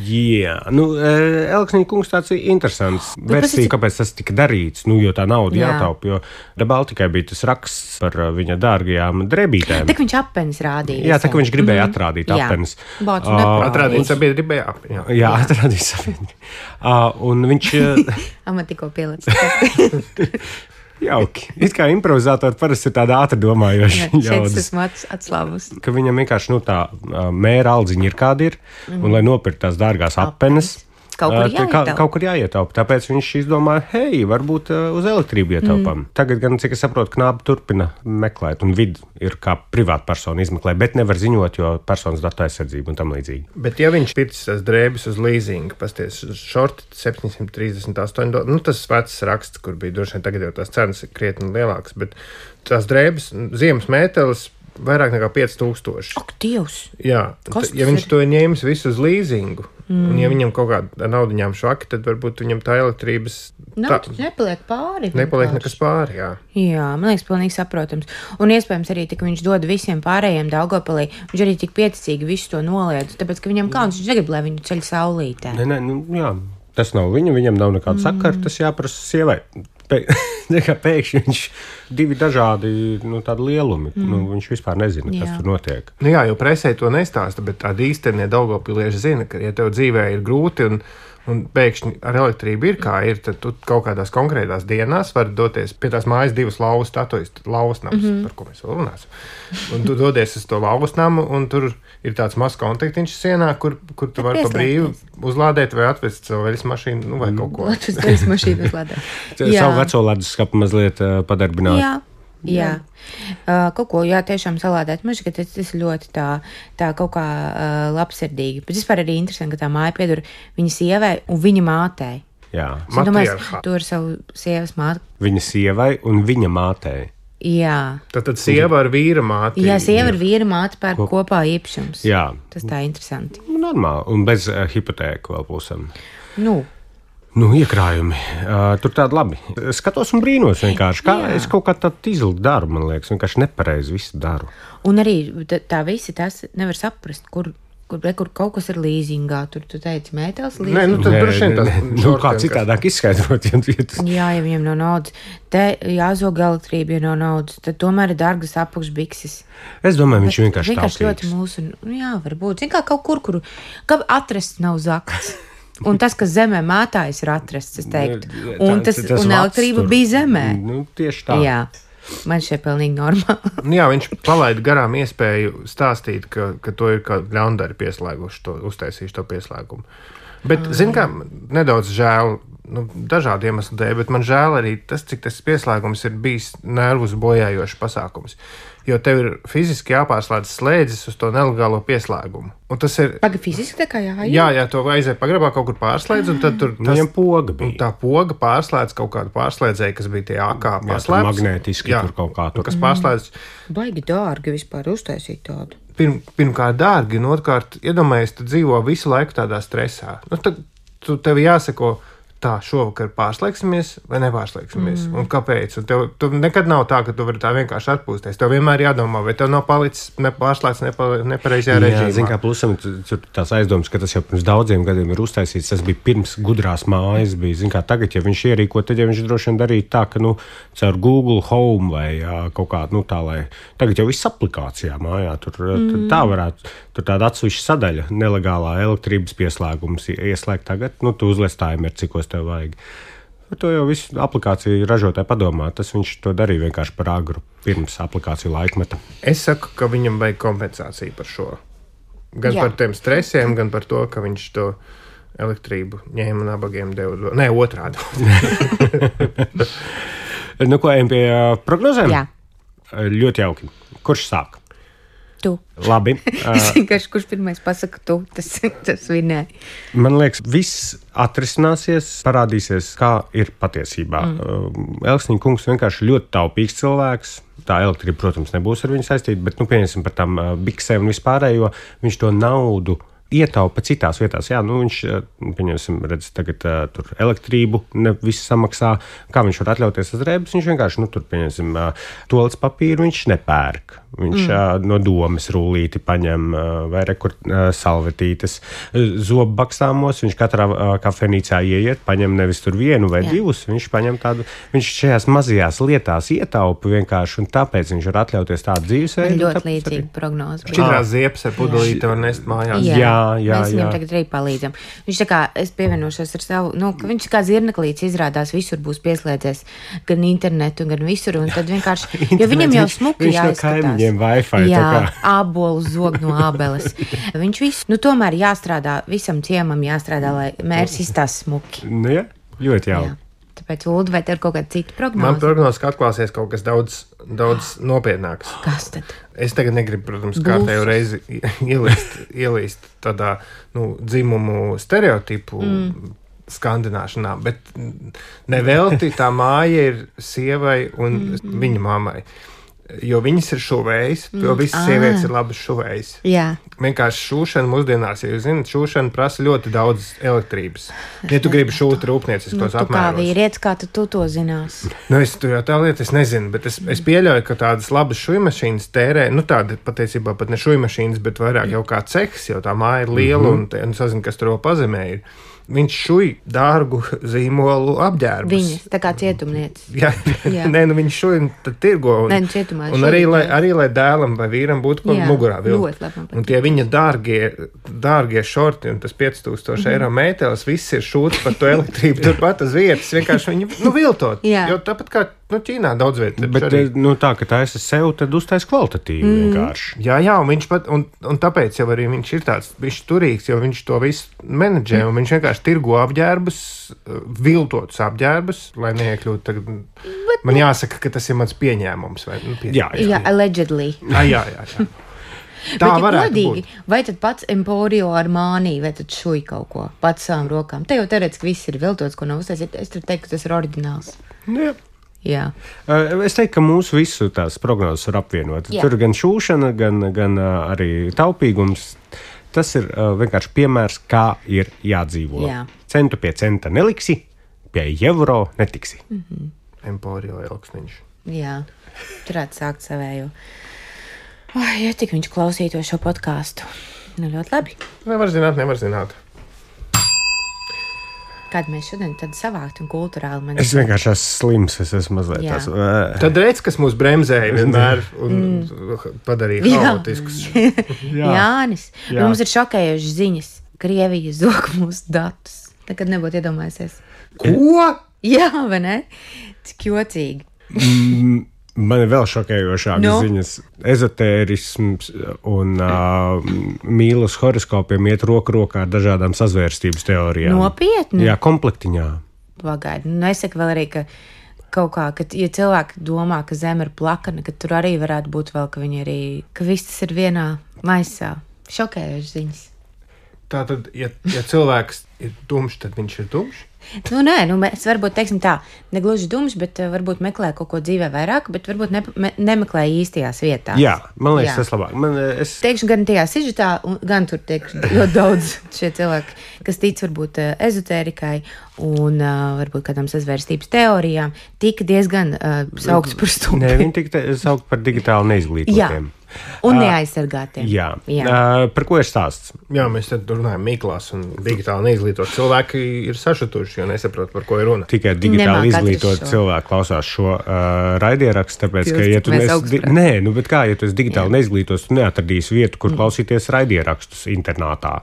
Jā, nu, Elksniņa kungs tāds interesants versija, kāpēc tas tika darīts, nu, jo tā nauda jā. Jātaup, jo Baltikai bija tas raksts par viņa dārgajām drebītēm. Tak viņš apenis rādīja. Jā, tā, ka viņš gribēja mm-hmm. atrādīt apenis. Bācu uh, atrādīt sabiedrībai apenis. Jā, jā atrādīt sabiedrībai. Uh, un viņš... Man tikko pielicis. Jauki. It kā improvizatori parasti ir tāda ātri domājoša ļaudis. Šeit esmu atslāvus. Ka viņam vienkārši, nu, tā mēra aldziņa ir kāda ir, mm. un lai nopirkt tās dārgās apenes, kaut kur jāietaupa. Kaut kur jāietaupa. Tāpēc viņš izdomāja, hei, varbūt uz elektrību ietaupām. Mm. Tagad gan, cik es saprotu, Knāba turpina meklēt, un vidi ir kā privāta persona izmeklē, bet nevar ziņot, jo personas datu aizsardzība un tam līdzīgi. Bet ja viņš pircis tās drēbes uz leasingu, pasties šorti septiņsimt trīsdesmit astoņi dolāri, nu tas vecs raksts, kur bija droši vien tagad jau tās cenas ir krietni lielākas, bet tās drēbes, ziemas mētelis, vairāk nekā pieci tūkstoši. Ak, Dievs! Jā, t- ja viņš to ir ņēmis visu uz leasingu, mm. un ja viņam kaut kāda naudiņām švaki, tad varbūt viņam tā elektrības... Nav, tā, nepaliek pāri. Nepaliek nekas pāri, jā. Jā, man liekas, pilnīgi saprotams. Un iespējams arī, ka viņš dod visiem pārējiem Daugavpilī, viņš arī tik pieticīgi visu to noliedz, tāpēc, ka viņam kauns, viņš negrib, lai viņu ceļ saulītē. Nē, nē, nu, jā, tas nav viņa, viņam nav nekāda mm. sakara, tas jāprasa sievai. Pēkšņi viņš divi dažādi nu, tādi lielumi. Mm. Nu, viņš vispār nezina, kas jā. Tur notiek. Nu jā, jo presē to nestāsta, bet tādi īsternie Daugavpilieši zina, ka, ja tev dzīvē ir grūti un, un pēkšņi ar elektrību ir kā ir, tad tu kaut kādās konkrētās dienās vari doties pie tās mājas divas lauvas statujas, lauvasnams, mm-hmm. par ko mēs vēl runāsim. Un tu dodies uz to lauvasnamu, un tur ir tāds mazs kontaktiņš sienā, kur, kur tu vari pa brīvu uzlādēt vai atvest savu veļas mašīnu, nu vai kaut ko. Atvest veļas mašīnu uzlādēt. Savu veco leduskapu mazliet uh, padarbināt. Jā. Jā, uh, kaut ko, jā, tiešām salādēt. Man šķiet, tas, tas ļoti tā, tā kaut kā uh, labsirdīgi. Bet vispār arī interesanti, ka tā māja pieder viņa sievai un viņa mātei. Jā, matriarchā. Tu ar savu sievas māti. Viņa sievai un viņa mātei. Jā. Tad, tad sieva ar vīra māti. Jā, sieva ar vīra māti pērk Ko... kopā īpašums. Jā. Tas tā interesanti. Normāli, un bez uh, hipotēku vēl pusam. Nu. Nu, iekrājumi. Uh, tur tādi labi. Skatos un brīnos vienkārši. Kā jā. Es kaut kā tādu izlūku daru, man liekas. Vienkārši nepareizi visu daru. Un arī tā, tā visi tas nevar saprast, kur, kur, kur kaut kas ir līzingā. Tur tu teici mētels līzingā. Nē, nu tad droši vien tas nu, kā citādāk izskaidrot. Jā, ja viņiem nav naudas. Te jāzog elektrība, ja nav naudas. Tad tomēr ir dārgas apakšbikses. Es domāju, viņš vienkārši vienkārši ļoti mūsu, jā, varbūt. Zin kā kaut kur, kur kā atrast nav zakts. Un tas, kas zemē mētājas, ir atrasts, es teiktu. Un, tas, tas un elektrība bija zemē. Nu, tieši tā. Jā, man šeit pilnīgi normāli. Jā, viņš palaida garām iespēju stāstīt, ka, ka to ir kā ļaundari pieslēguši, to, uztaisījuši to pieslēgumu. Bet, ah, zin kā, nedaudz žēl, nu, dažādu iemeslu dēļ, bet man žēl arī tas, cik tas pieslēgums ir bijis nervus bojājošs pasākums. Jo tev ir fiziski jāpārslēdz slēdzis uz to nelegālo pieslēgumu. Un tas ir... Paga fiziski tā kā jāiet? Jā, jā, to vajadzēja pagrabā kaut kur pārslēdz, un tad tur... Tas, viņam poga bija. Un tā poga pārslēdz kaut kādu pārslēdzēju, kas bija tie A K pārslēdz. Magnētiski jā, tur kaut kā tur. Kas pārslēdz... Baigi dārgi vispār uztaisīt tādu. Pirm, pirmkārt dārgi, un otrkārt, iedomājies, tu dzīvo visu laiku tādā stresā. Nu, tad tu, tev jāsako... Tā, šovakar pārslēgsimies vai nepārslēgsimies? Mm. Un kāpēc? Un tev, tev nekad nav tā, ka tu vari tā vienkārši atpūsties. Tev vienmēr jādomā, vai tev nav palicis nepārslēgts nepa, nepareizajā režīmā. Jā, zin kā plusam, tur tās aizdomas, ka tas jau pirms daudziem gadiem ir uztaisīts. Tas bija pirms gudrās mājas. Bija, zin kā tagad, ja viņš ierīko, tad ja viņš droši vien darītu tā, ka, nu, caur Google Home vai jā, kaut kā, nu, tā, lai tagad jau viss aplikācijā mājā. Tur mm. tā varētu, tur tāda atsevišķa sadaļa, nelegālā elektrības pieslēgums ieslēgt tagad. Nu, tu uzliec timer, cikos tev vajag. Par to jau visu aplikāciju ražotāji padomā. Tas viņš to darīja vienkārši par agru pirms aplikāciju laikmeta. Es saku, ka viņam vajag kompensāciju par šo. Gan jā. Par tiem stresiem, gan par to, ka viņš to elektrību ņēma nabagiem deva. Nē, otrādi. Nu, ko, ejam pie prognozēm? Jā. Ļoti jauki. Kurš sāk? Tu. Labi. Es vienkārši, kurš pirmais pasaka tu, tas, tas vinē. Man liekas, viss atrisināsies, parādīsies, kā ir patiesībā. Mm. Elksniņa kungs vienkārši ļoti taupīgs cilvēks. Tā elektrība, protams, nebūs ar viņu saistīta, bet, nu, pieņemsim par tām biksēm un vispārējo, viņš to naudu ietaupa citās vietās. Jā, nu viņš, pieņemsim, redz, tagad uh, tur elektrību ne visu samaksā. Kā viņš var atļauties uz drēbes? Viņš vienkārši, nu tur, pieņemsim, uh, toalets papīru viņš nepērk. Viņš mm. uh, no domes rūlīti paņem uh, vai rekur uh, salvetītes. Zobu bakstāmos viņš katrā uh, kafejnīcā ieiet, paņem nevis tur vienu vai jā. divus, viņš paņem tādu, viņš šajās mazajās lietās ietaupa vienkārši, un tāpēc viņš var atļauties tādu dzīvesveidu. Ļoti līdzīga prognoze. Šķidrās ziepes ar pudelīti var nest mājās. Jā, jā, jā. Mēs viņam jā. tagad arī palīdzam. Viņš tā kā, es pievienošos ar savu, nu, ka viņš kā zirneklīts izrādās visur būs pieslēdzies, gan internetu, gan visur, un tad vienkārši, jo viņam jau smuki jāizskatās. Wi-Fi, jā, ābolu zog no ābeles. Viņš visu, nu tomēr jāstrādā, visam ciemam jāstrādā, lai mērs izstās smuki. Nu, jā, ļoti jauki. Tāpēc, Uldi, vai tev ir kaut kāda cita prognoze? Man prognoze, ka atklāsies kaut kas daudz, daudz nopietnāks. Kas tad? Es tagad negribu, protams, kārtējo reizi ielīst, ielīst tādā, nu, dzimumu stereotipu mm. skandināšanā, bet nevelti tā māja ir sievai un mm. viņa mammai. Jo viņas ir šuvējas, jo visas mm. sievietes ir labas šuvējas. Jā. Vienkārši šūšana mūsdienās, ja jūs zināt, šūšana prasa ļoti daudz elektrības. Ja tu gribi šūt rūpnieciskos nu, apmēros. Kā vīrietis, kā tu, tu to zinās? Nu, es tu jau tā lieta, es nezinu, bet es, es pieļauju, ka tādas labas šujmašīnas tērē, nu tāda patiesībā pat ne šujmašīnas, bet vairāk jau kā cehs, jo tā māja ir liela mm-hmm. un, te, un sazinu, kas tur vēl pazemē ir. Viņš šuj dārgu zīmolu apģērbus. Viņas, tā kā cietumniecis. Jā, jā. Nē, nu viņš šuj un tad tirgo. Un, Nē, nu cietumā un arī, lai, arī, lai dēlam vai vīram būtu kaut mugurā vilkt. Un tie viņa dārgie, dārgie šorti un tas pieci tūkstoši mm. eiro mētelis, viss ir šūts par to elektrību turpat uz vietas. Vienkārši viņi, nu, viltot. Jā. Jo tāpat kā, nu, Ķīnā daudz vietas. Bet, arī... nu, tā, ka taisa sev, tad uztais kvalitatīvi mm. vienkārši. Jā, jā, un viņš pat, un, un tāpēc jau arī viņš ir tāds, viņš turīgs, jo viņš to visu menedžē, un viņš vienkārši tirgo apģērbus, viltotus apģērbus, lai neiekļūtu tagad. Bet, man jāsaka, ka tas ir mans pieņēmums. Vai, nu, pie... Jā, jā, allegedly. Jā, jā, jā. jā. Tā bet, varētu godīgi, būt. Vai tad pats Emporio Armani, vai tad šuj kaut ko pats savām rokām? Te jau teorētiski viss ir viltots, ko nav uztaisīt. Es tur teiktu, ka tas ir oriģināls. Jā. Jā. Es teiktu, ka mūsu visu tās prognozes var apvienot. Jā. Tur gan šūšana, gan, gan arī taupīgums. Tas ir uh, vienkārši piemērs, kā ir jādzīvo. Jā. Centu pie centa neliksi, pie eiro netiksi. Mm-hmm. Emporio elksniņš. Jā, turētu sākt savējo. Oh, ja tik viņš klausītos šo podkāstu. Nu, ļoti labi. Nevar zināt, nevar zināt. Kādu mēs šodien tad savākt un kulturāli man... Es vienkārši esmu slims, es esmu mazliet Jā. tās... Uh... Tad redz, kas mūs bremzēja vienmēr un mm. padarīja haotiskus. Jā. Jānis, Jā. Mums ir šokējošas ziņas. Krievija zog mūsu datus. Nekad nebūtu iedomājusies. Ko? Jā, vai ne? Cik jocīgi. Mm. Man ir vēl šokējošākas no. ziņas. Ezotērisms un uh, mīlestības horoskopiem iet roku rokā ar dažādām sazvērstības teorijām. Nopietni? Jā, komplektiņā. Pagaidi. Nu, es saku vēl arī, ka kaut kā, ka, ja cilvēki domā, ka zeme ir plakana, ka tur arī varētu būt vēl, ka viņi arī, ka viss tas ir vienā maisā. Šokējošas ziņas. Tātad, ja, ja cilvēks ir tumšs, tad viņš ir tumšs? Nu, nē, nu, mēs varbūt teiksim tā, negluži dumšs, bet uh, varbūt meklē kaut ko dzīvē vairāk, bet varbūt ne, me, nemeklē īstajās vietās. Jā, man liekas, Jā. tas labāk. Man, es... Teikšu, gan tajā sižetā, gan tur teikšu ļoti daudz šie cilvēki, kas tic varbūt uh, ezotērikai un uh, varbūt kādām sazvērstības teorijām, tika diezgan uh, saukts par stupri. Nē, viņi tika saukt par digitāli neizglītotiem. Jā. Un neaizsargātiem. Uh, jā. jā. Uh, par ko ir stāsts? Jā, mēs te runājam Miklās un digitāli neizglītot. Cilvēki ir sašutuši, jo nesaprot, par ko ir runa. Tikai digitāli izglītot cilvēku klausās šo uh, raidierakstu, tāpēc, Pilst, ka, ja tu nes... Di... Nē, nu, bet kā, ja tu esi digitāli jā. neizglītos, tu neatradīsi vietu, kur mm. klausīties raidierakstus internātā.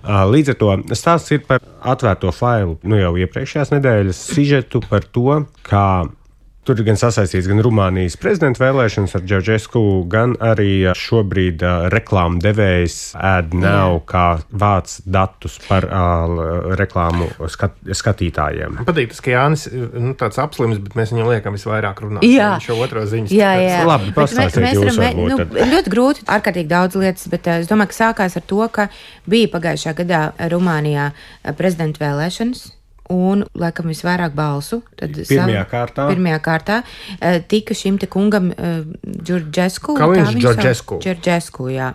Uh, līdz ar to stāsts ir par atvērto failu, nu jau iepriekšējās nedēļas sižetu par to, kā tur gan sasaistīts gan Rumānijas prezidenta vēlēšanas ar Džauģesku, gan arī šobrīd uh, reklāmu devējs AdNow, kā vāc datus par uh, reklāmu skat, skatītājiem. Man patīk tas, ka Jānis ir nu, tāds apslims, bet mēs viņam liekam visvairāk runāt. Jā. Viņš jau otro ziņas. Jā, jā. Labi, pastāstiet jūs varam, varbūt. Nu, ļoti grūti, ārkārtīgi daudz lietas, bet uh, es domāju, ka sākās ar to, ka bija pagājušā gadā Rumānijā uh, prezidenta vēlēšanas. un, laikam, visvairāk balsu. Tad pirmajā savu, kārtā. Pirmajā kārtā tika šim te kungam Džordžesku. Kā viņš Džordžesku? Džordžesku, jā.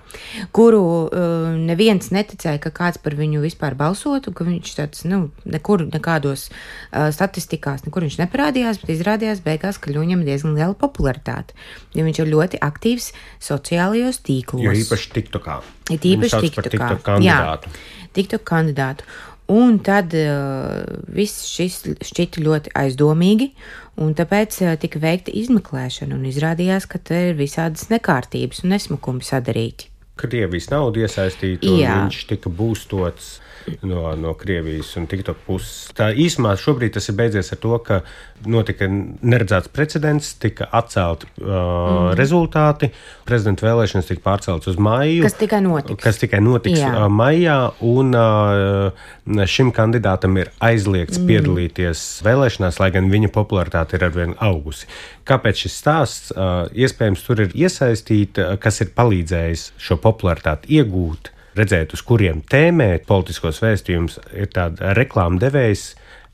Kuru uh, neviens neticēja, ka kāds par viņu vispār balsotu, ka viņš tāds, nu, nekur, nekādos uh, statistikās, nekur viņš neparādījās, bet izrādījās beigās, ka viņam diezgan liela popularitāte. Jo viņš ir ļoti aktīvs sociālajos tīklos. Jo īpaši TikTokā. Ir īpaši TikTokā. TikTok kandidātu. Jā, TikTok kandidātu. Un tad uh, viss šis šķita ļoti aizdomīgi, un tāpēc uh, tika veikta izmeklēšana, un izrādījās, ka te ir visādas nekārtības un nesmukumi sadarīti. Krievijas nauda iesaistīta, un Jā. viņš tika būstots no, no Krievijas un TikTok puses. Tā īsumā šobrīd tas ir beidzies ar to, ka notika neredzēts precedents, tika atcelti uh, mm. rezultāti, prezidenta vēlēšanas tika pārceltas uz maiju. Kas tikai notiks. Kas tikai notiks uh, maijā, un uh, šim kandidātam ir aizliegts mm. piedalīties vēlēšanās, lai gan viņa popularitāte ir arvien augusi. Kāpēc šis stāsts? Uh, iespējams, tur ir iesaistīta, kas ir palīdzējis šo popularitāti iegūt, redzēt, uz kuriem tēmēt politiskos vēstījumus, ir tāda reklāma devējs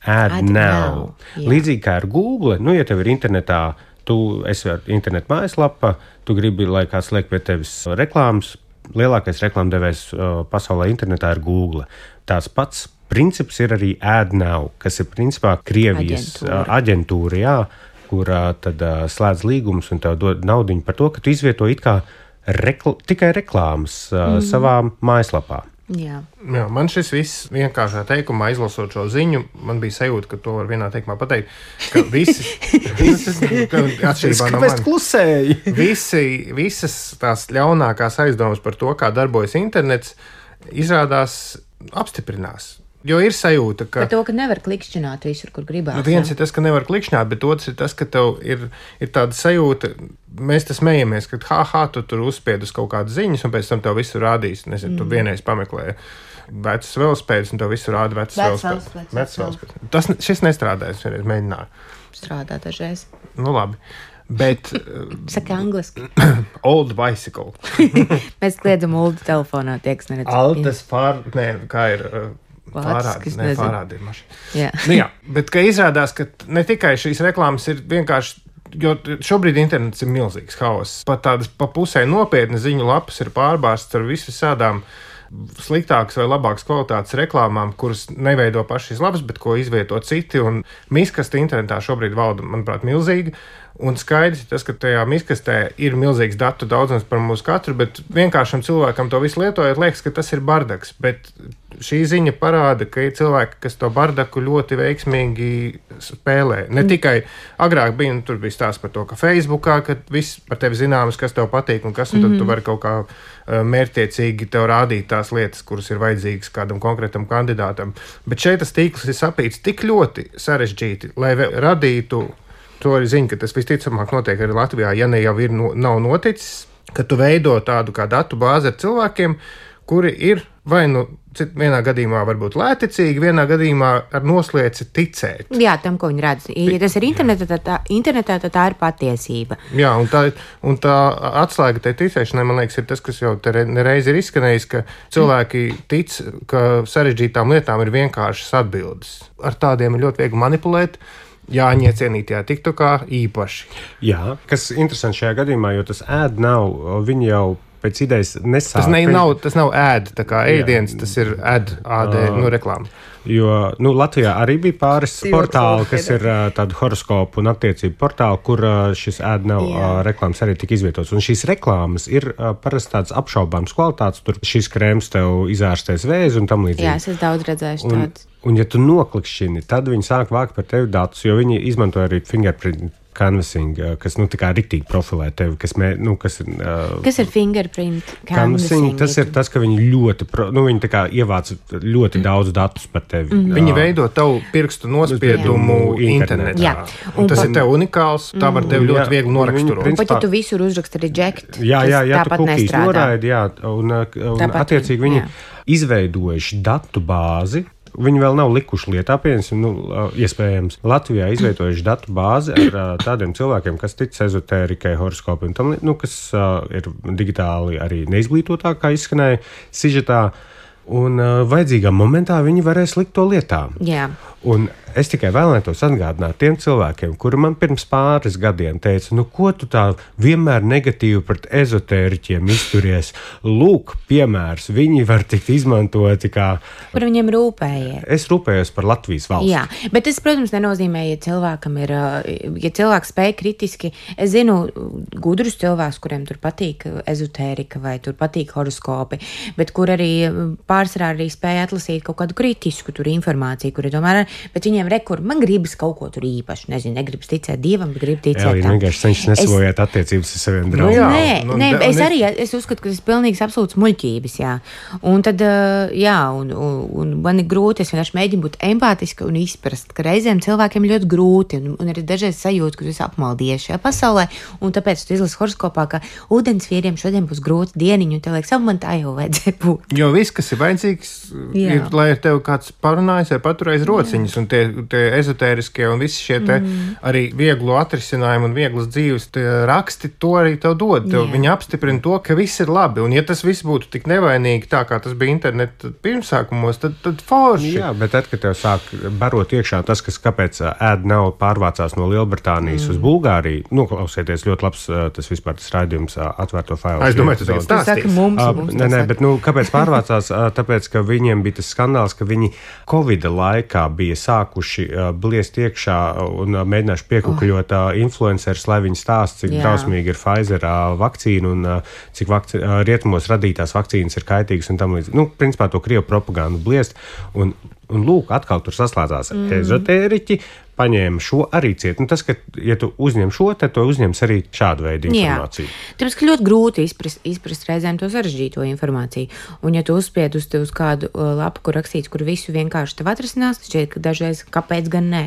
Ad, Ad Now. now. Līdzīgi kā ar Google, nu, ja tev ir internetā, tu esi ar internetu mājaslapa, tu gribi, lai kāds liek pie tevis reklāmas, lielākais reklāma devējs uh, pasaulē internetā ir Google. Tās pats princips ir arī Ad Now, kas ir principā Krievijas aģentūra, uh, aģentūra jā, kurā tad uh, slēdz līgumus un tev dod naudiņu par to, ka tu izvieto it kā Rekl- tikai reklāmas uh, mm. savā mājaslapā. Jā. Jā, man šis viss vienkāršā teikumā, izlasot šo ziņu, man bija sajūta, ka to var vienā teikumā pateikt, ka visi, visas, atšķirībā no manis, klusēji. visi, visas tās ļaunākās aizdomas par to, kā darbojas internets, izrādās apstiprinās. Jo ir sajūta, ka. Par to, ka nevar klikšķināt visur, kur gribās. Nu, viens ja? ir tas, ka nevar klikšķināt, bet otrs ir tas, ka tev ir, ir tāda sajūta, mēs tas smējamies, ka ha, ha, tu tur uzspied uz kaut kādas ziņas, un pēc tam tev visu rādīs. Nezinu, mm. tu vienreiz pameklēji vecus velospēdus, un tev visu rāda vecus velospēdus. Vecus velospēdus. Tas šis nestrādājas, vienreiz mēģināju. Strādā dažreiz. Nu, labi. Bet. Saka angliski. Old bicycle. Mēs kliedzam old telefonā, tie, kas neredz. Altas pār. Nē, kā ir. Pārādi, ne, pārādi ir maši. Jā. Nu, jā, bet ka izrādās, ka ne tikai šīs reklāmas ir vienkārši, jo šobrīd internets ir milzīgs haoss. Pat tādas pa pusē nopietnas ziņu lapas ir pārbārstas ar visādām sliktākas vai labākas kvalitātes reklāmām, kuras neveido paši šīs lapas, bet ko izvieto citi. Un miskasta internetā šobrīd valda, manuprāt, milzīga. Un skaidrs ir tas, ka tajā miskastē ir milzīgs datu daudzums par mūsu katru, bet vienkāršam cilvēkam to visu lietojot, liekas, ka tas ir bardaks. Bet šī ziņa parāda, ka ir cilvēki, kas to bardaku ļoti veiksmīgi spēlē. Ne tikai agrāk bija, nu, tur bija stāsts par to, ka Facebookā, ka viss par tevi zināms, kas tev patīk un kas, un tad mm-hmm. tu vari kaut kā uh, mērķtiecīgi tev rādīt tās lietas, kuras ir vajadzīgas kādam konkrētam kandidātam. Bet šeit tas tīkls ir sapīts tik ļoti sarežģīti, lai radītu. To arī zinu, ka tas visticamāk notiek arī Latvijā, ja ne jau ir, no, nav noticis, ka tu veido tādu kā datu bāzi ar cilvēkiem, kuri ir vai nu vienā gadījumā varbūt lēticīgi, vienā gadījumā ar noslēci ticēt. Jā, tam, ko viņi redz. Ja tas ir internetā, tad tā, internetā, tad tā ir patiesība. Jā, un tā, un tā atslēga tai ticēšanai, man liekas, ir tas, kas jau te nereiz ir izskanējis, ka cilvēki tic, ka sarežģītām lietām ir vienkāršas atbildes. Ar tādiem ir ļoti viegli manipulēt. Jāņa cienītajā TikTokā īpaši. Jā, kas interesanti šajā gadījumā, jo tas ēd nav, viņi jau pēc idejas nesāk. Tas, ne, nav, tas nav ēd, tā kā ēdiens, tas ir ēd, ād, nu, reklāma. Jo, nu, Latvijā arī bija pāris portāli, kas ir uh, tādu horoskopu un attiecību portāli, kur uh, šis ēd nav uh, reklāmas arī tika izvietots. Un šīs reklāmas ir uh, parasti tādas apšaubāmas kvalitātes, tur šis krēms tev izārstēs vēzi un tam līdzīgi. Jā, es esmu daudz redzējuši tādas. Un, ja tu noklikšķini, tad viņi sāk vākt par tevi datus, jo viņi izmanto arī fingerprint canvassing, kas, nu, tā kā riktīgi profilē tevi, kas, mē, nu, kas ir... Uh, kas ir fingerprint canvassing? Canvassing, tas ir tas, ka viņi ļoti, pro, nu, viņi tā kā ievāc ļoti daudz datus par tevi. Mm. Viņi veido tavu pirkstu nospiedumu internetā. Jā. Un, un tas pa... ir tev unikāls, tā var tevi ļoti jā, viegli noraksturot. Principā... Un pat, ja tu visur uzraksti reject, jā, jā, jā, tāpat nestrādā. Noraidi, jā, un, un tāpat, attiecīgi viņi jā. izveidojuši datu bāzi. Viņi vēl nav likuši lietā, pieņemsim, nu, iespējams, Latvijā izveidojuši datu bāzi ar uh, tādiem cilvēkiem, kas tic ezotērikai, horoskopiem, nu, kas uh, ir digitāli arī neizglītotākā izskanēja sižetā. un uh, vajadzīgā momentā viņi varēs likt to lietā. Jā. Un es tikai vēlētos atgādināt tiem cilvēkiem, kuri man pirms pāris gadiem teica, nu ko tu tā vienmēr negatīvi pret ezotēriķiem izturies? Lūk, piemērs, viņi var tikt izmantoti kā... Par viņiem rūpējies. Es rūpējos par Latvijas valsti. Jā, bet tas, protams, nenozīmē, ja cilvēkam ir, ja cilvēks spēj kritiski, es zinu gudrus cilvēkus, kuriem tur patīk ezotērika vai tur patīk horoskopi, bet kur arī pārsvarā arī spēja atlasīt kaut kādu kritisku tur informāciju, kuri tomēr, bet viņiem rekur, man gribas kaut ko tur īpaši, nezinu, negribas ticēt Dievam, bet grib ticēt. Jā, viņi vienkārši cenšas nesavojāt es... attiecības ar saviem draugiem. Nu, jā, nē, nu, nē, es arī, es uzskatu, ka tas ir pilnīgs absolūts muļķības, jā. Un tad, jā, un, un, un man ir grūti, es vienkārši mēģinu būt empātiska un izprast, ka reizēm cilvēkiem ļoti grūti, un, un arī dažreiz sajūta, ka tu esi apmaldies šajā pasaulē, un tāpēc tu izlasi horoskopā, ka ūdensvīriem šodien būs grūti dieniņu, un tev liekas, man tā jau vajadzēja būt. Jo viss, kas ir vajadzīgs, jā. Ir, lai tev kāds parunājas vai paturēs rociņas, un tie, tie ezotēriskie un visi šie te mm. arī vieglu atrisinājumu un vieglas dzīves raksti, to arī tev dod. Tev viņi apstiprina to, ka viss ir labi. Un ja tas viss būtu tik nevainīgi tā, kā tas bija interneta pirmsākumos, tad, tad forši. Jā, bet tad, kad tev sāk barot iekšā tas, kas kāpēc ēd nav pārvācās no Lielbritānijas mm. uz Bulgāriju, nu, klausieties, ļoti labs tas vispār tas raidījums atvērto failu. Es domāju, tas ir stāstīs. Mums, uh, mums nē, nē, bet, nu, kāpēc pārvācās? Tāpēc, ka viņiem bija tas skandāls, ka viņi Covida laikā bija sākuši uh, bliest iekšā un uh, mēģinājuši piekukuļot uh, influencerus, lai viņi stāst, cik drausmīgi ir Pfizer uh, vakcīna un uh, cik vakci uh, rietumos radītās vakcīnas ir kaitīgas un tam līdz. Nu, principā to krievu propagandu bliest. Un, un lūk, atkal tur saslēdzās mm. ezotēriķi, paņēma šo arī ciet. Nu, tas, ka, ja tu uzņem šo, tad tu uzņems arī šādu veidu informāciju. Jā. Tāpēc, ka ļoti grūti izprast, izprast reizēm to sarežģīto informāciju. Un ja tu uzspied uz, uz kādu uh, lapu, kur rakstīts, kur visu vienkārši tev atrisinās, šķiet, ka dažreiz kāpēc gan nē.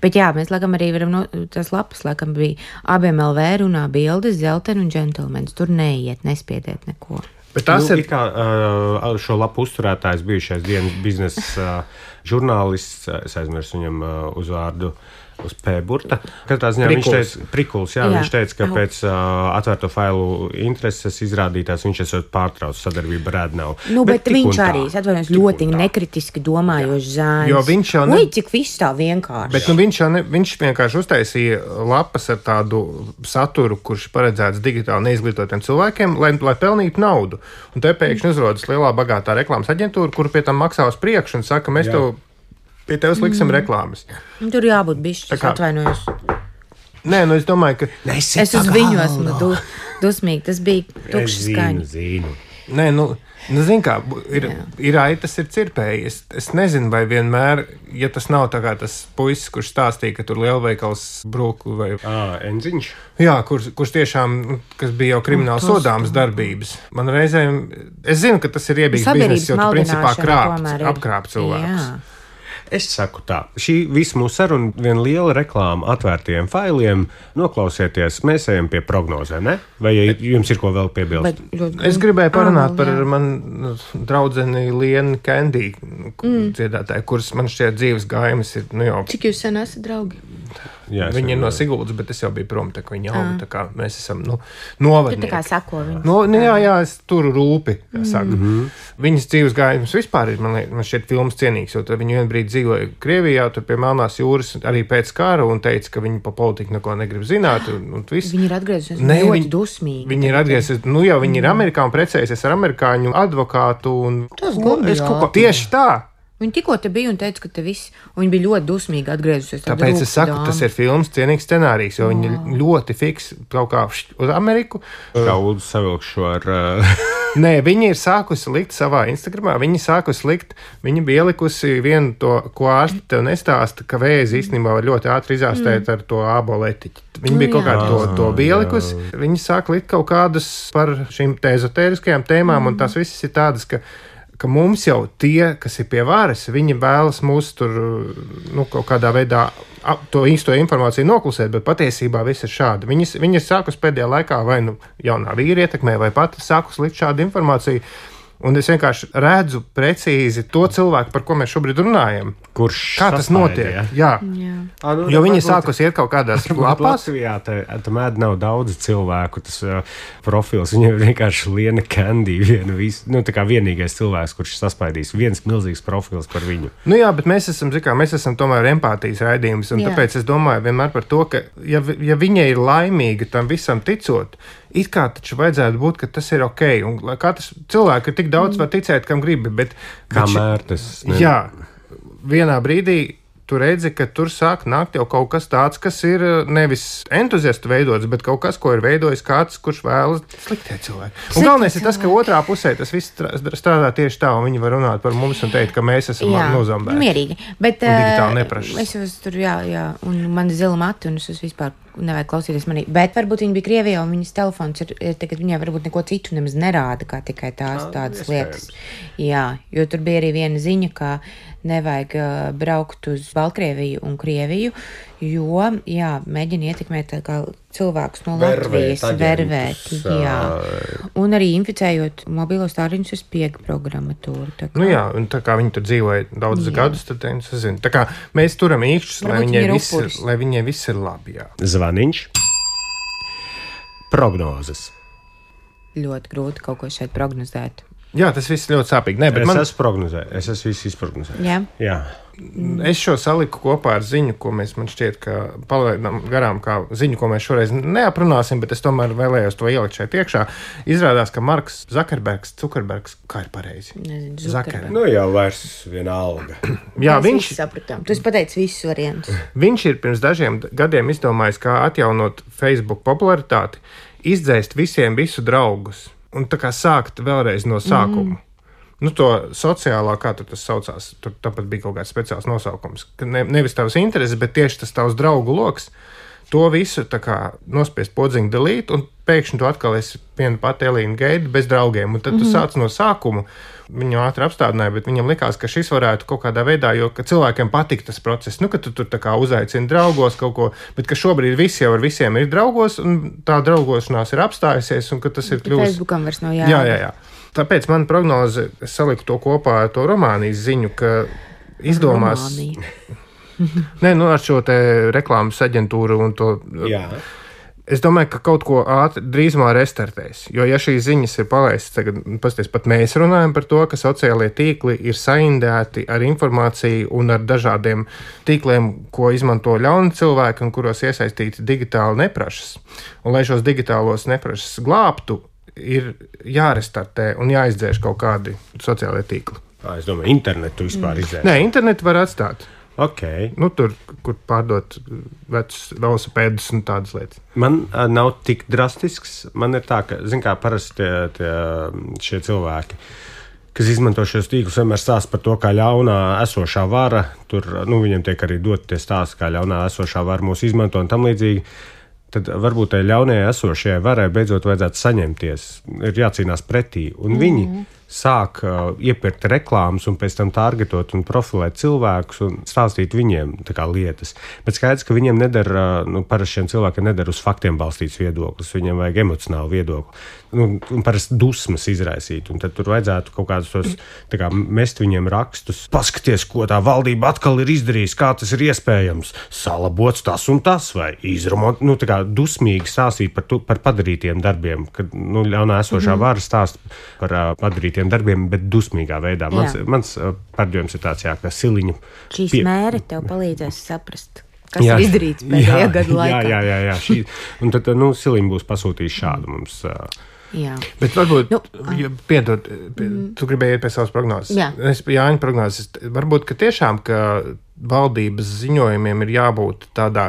Bet jā, mēs laikam arī varam, no, tas lapas laikam bija abiem L V runā bildes, zelteni un džentelmenis. Tur neiet, nespiediet neko. Bet tas nu, ir kā uh, šo lapu uzturētājs bijušais dienas biznesa uh, žurnālists, es aizmirsu viņam uh, uzvārdu, uz P. Burta. Katrā ziņā viņš teica, Prikuls, jā, jā. Viņš teica, ka pēc uh, atvērto failu intereses izrādītās viņš esot pārtraucis sadarbību ar ēdnavu. Nu, bet, bet viņš arī, es atvainojos, ļoti nekritiski domājošs zēns. Jo viņš jau ne... Uj, cik viss tā vienkārši. Bet nu, viņš, ne, viņš vienkārši uztaisīja lapas ar tādu saturu, kurš paredzēts digitāli neizglītotiem cilvēkiem, lai, lai pelnītu naudu. Un te pēkšņi uzrodas lielā bagātā reklāmas aģentūra, kuru pie tam maksā uz priekšu un saka, mēs jā. tev pie tevis liksim mm. reklāmas. Tur jābūt bišķi, es atvainojos. Nē, nu es domāju, ka... Nesi es uz viņu esmu du, dusmīgi, tas bija tukšs skaņa. Zinu, zinu. Nē, nu, nu zin kā, ir, ir aitas, ir cirpēji. Es, es nezinu, vai vienmēr, ja tas nav tā kā tas puisis, kurš stāstīja, ka tur lielveikals brūku vai... Ā, Enziņš? Jā, kurš, kurš tiešām, kas bija jau krimināli sodāmas darbības. Man reizēm, es zinu, ka tas ir iebīgs biznes, jo tu principā krāpt, apkrāpt cilvēkus. Jā. Es saku tā, šī visa mūsu saruna, viena liela reklāma atvērtiem failiem. Noklausieties, mēs ejam pie prognozēm, ne? Vai jums ir ko vēl piebilst? Bet, es gribēju parunāt par manu draudzeni Lienu Candy, mm. dziedātāju, kuras man šķiet dzīves gājumas ir, nu jau... Cik jūs sen esat draugi? Jā, viņi ir no Siguldas, bet es jau biju prom, tā kā viņi auga, tā kā mēs esam, nu, novadnieki. Tu tā kā sako viņu. No, nu, jā, jā, es turu rūpi, kā saka. Mm-hmm. Viņas dzīves gājums vispār ir, man, liek, man šķiet, filmas cienīgs, jo viņi vien brīdi dzīvoja Krievijā, tur pie Melnās jūras, arī pēc kara, un teica, ka viņi pa politiku neko negrib zināt, un, un viss. Viņi ir atgriezusies ne, ļoti viņi, dusmīgi. Viņi ir atgriezusies, nu jau viņi ir Amerikā un precējusies ar amerikāņu advokātu, un tas godīgi. Es kaut ko tieši tā. Viņa tikko te bija un teica, ka te viss, un viņa bija ļoti dusmīga atgriezusies. Tāpēc es saku, dāma. Tas ir filmas cienīgs scenārijs, jo viņi oh. ļoti fiks kaut kā uz Ameriku. Kā Ulds savilkšu ar... Uh... Nē, viņi ir sākusi likt savā Instagramā, viņi sākusi likt, viņi bija ielikusi vienu to, ko ārsti tev nestāsta, ka vēzi īstenībā var ļoti ātri izārstēt mm. ar to āboletiķi. Viņi bija kaut kā to, to bija ielikusi. Viņi sāk likt kaut kādus par šīm ezotēriskajām tēmām, mm. un tās visas ir tādas, ka ka mums jau tie, kas ir pie varas, viņi vēlas mūs tur, nu, kaut kādā veidā to īsto informāciju noklusēt, bet patiesībā viss ir šādi. Viņas, viņas sākus pēdējā laikā vai nu jaunā vīra ietekmē, vai pat sākus likt šādu informāciju, Un es vienkārši redzu precīzi to cilvēku, par ko mēs šobrīd runājam. Kurš Kā tas notiek? Jā. Jā. A, nu, Jo viņi varbūt- sākus iet kaut kādās lapās. Latvijā tam mēd nav daudz cilvēku, tas uh, profils. Viņam ir vienkārši Liena Candy, viena vis, nu, tā kā vienīgais cilvēks, kurš saspaidīs viens milzīgs profils par viņu. Nu jā, bet mēs esam, zikā, mēs esam tomēr empātijas raidījums, un Jā. tāpēc es domāju vienmēr par to, ka ja, vi- ja viņa ir laimīga tam visam ticot, it kā taču vajadzētu būt, ka tas ir ok, un lai katrs cilvēks ir tik daudz var ticēt, kam gribi, bet... bet ši- Kamēr tas ne- Jā, vienā brīdī tu redzi, ka tur sāk nākt jau kaut kas tāds, kas ir uh, nevis entuziastu veidots, bet kaut kas, ko ir veidojis kāds, kurš vēlas sliktie cilvēki. Un Sliktie galvenais ir tas, ka cilvēki. otrā pusē tas viss strā- strādā tieši tā, un viņi var runāt par mums un teikt, ka mēs esam Jā, nozambēti. mierīgi. Bet, Un digitāli ā, neprašas. Es jūs tur, jā, jā, un man ir zila mati, un es uz vispār nevajag klausīties manī. Bet varbūt viņi bija Krievijā, un viņas telefons ir, ir tagad viņai varbūt neko citu nemaz nerāda, kā tikai tās Jā, tādas iespējams. lietas. Jā, jo tur bija arī viena ziņa, ka nevajag ā, braukt uz Baltkrieviju un Krieviju, jo, jā, mēģina ietekmēt tā kā cilvēkus no Vervēt Latvijas, aģentus, vervēt, jā. ā. Un arī inficējot mobilos tāriņus uz spiega programmatūru. tā kā- Nu jā, un tā kā viņi tur dzīvoja daudzus Jā. gadus, tad es zinu. Tā kā mēs turam īkšķus, lai Varbūt viņai viņi ir viss ir, upuris. lai viņai viss ir labi. Jā. Zvaniņš. Prognozes. Ļoti grūti kaut ko šeit prognozēt. jā, tas viss ļoti sāpīgi. Nē, bet Es man, esmu prognozējis, es esmu visu izprognozējis. Jā. Jā. es šo saliku kopā ar ziņu, ko mēs man šķiet, ka palaidām garām, kā ziņu, ko mēs šoreiz neaprunāsim, bet es tomēr vēlējos to ielikt šeit iekšā. Izrādās, ka Marks Zakerbergs, Zukerbergs, kā ir pareizi? Nezinu, Zuckerberg. Nu jau vairs viena alga. Jā, Mēs viņš, visi sapratām. Tu esi pateicis visus variantus. viņš ir pirms dažiem gadiem izdomājis, kā atjaunot Facebook popularitāti, izdzēst visiem visu draugus un tā kā sākt vēlreiz no sākuma. Mm. Nu, to sociālā, kā tur tas saucās, tur tāpat bija kaut kāds speciāls nosaukums. Ka ne, nevis tavs intereses, bet tieši tas tavs draugu loks. To visu tā kā nospiest podziņu delīt, un pēkšņi tu atkal esi viena pati Elīna Geida bez draugiem. Un tad tu mm. sāc no sākuma. Viņu ātri apstādināja, bet viņam likās, ka šis varētu kaut kādā veidā, jo ka cilvēkiem patīk tas process. Nu, ka tu tur tā kā uzaicini draugos kaut ko, bet ka šobrīd visi jau ar visiem ir draugos, un tā draugošanās ir apstājusies, un ka tas ir kļuvis. Facebookam vairs nav jā. Jā, jā, jā. Tāpēc man prognoze, es saliku to kopā ar to Romānijas ziņu, ka izdomās. Romānija. Nē, nu ar šo te reklāmas aģentūru un to. Jā. Es domāju, ka kaut ko ātri drīzumā restartēs. Jo, ja šīs ziņas ir palaistas, tagad pasties, pat mēs runājam par to, ka sociālie tīkli ir saindēti ar informāciju un ar dažādiem tīkliem, ko izmanto ļauni cilvēki un kuros iesaistīti digitāli neprašas. Un, lai šos digitālos neprašas glābtu, ir jārestartē un jāizdzēš kaut kādi sociālie tīkli. À, es domāju, internetu vispār mm. izdzēst. Nē, internetu var atstāt. Ok. Nu, tur, kur pārdot vecus velosipēdus un tādas lietas. Man uh, nav tik drastisks. Man ir tā, ka, zin kā, parasti tie, tie, šie cilvēki, kas izmanto šos tīklus, vienmēr stāsta par to, kā ļaunā esošā vara. Tur, nu, viņiem tiek arī dot tie stāsti, kā ļaunā esošā vara mūs izmanto un tam līdzīgi. Tad varbūt tai ļaunajai esošajai varai beidzot vajadzētu saņemties. Ir jācīnās pretī. Un mm. viņi sāk uh, iepirkt reklāmas un pēc tam targetot un profilēt cilvēkus un stāstīt viņiem tā kā lietas. Bet skaidrs, ka viņiem nedara, uh, nu, parasti šiem cilvēkiem nedara uz faktiem balstīts viedoklis. Viņiem vajag emocionālu viedokli. Nu, un parasti dusmas izraisīt. Un tad tur vajadzētu kaut kādus tos, tā kā mest viņiem rakstus. Paskaties, ko tā valdība atkal ir izdarījusi, kā tas ir iespējams. Salabots tas un tas vai izrumot. Nu, tā kā dusmīgi stāstīt par, tu, par padarītiem darbiem. Kad, nu, ļaunā esošā mm-hmm. vara stāst par uh, padarītiem darbiem, bet dusmīgā veidā. Mans, mans uh, pārdojums ir tāds, jā, ka siliņu. Šīs pie... mēri tev palīdzēs saprast, kas jā, ir izdarīts pēdējā jā, gada laikā. Jā, jā, jā. jā šī, un tad, nu, siliņi būs pasūtījis šādu mums. Uh, Jā. Bet varbūt, Nu, ja piedod, pie, tu gribēji iet pie savas prognozes. Jā. Es pie Jāņa prognozes. Varbūt, ka tiešām, ka valdības ziņojumiem ir jābūt tādā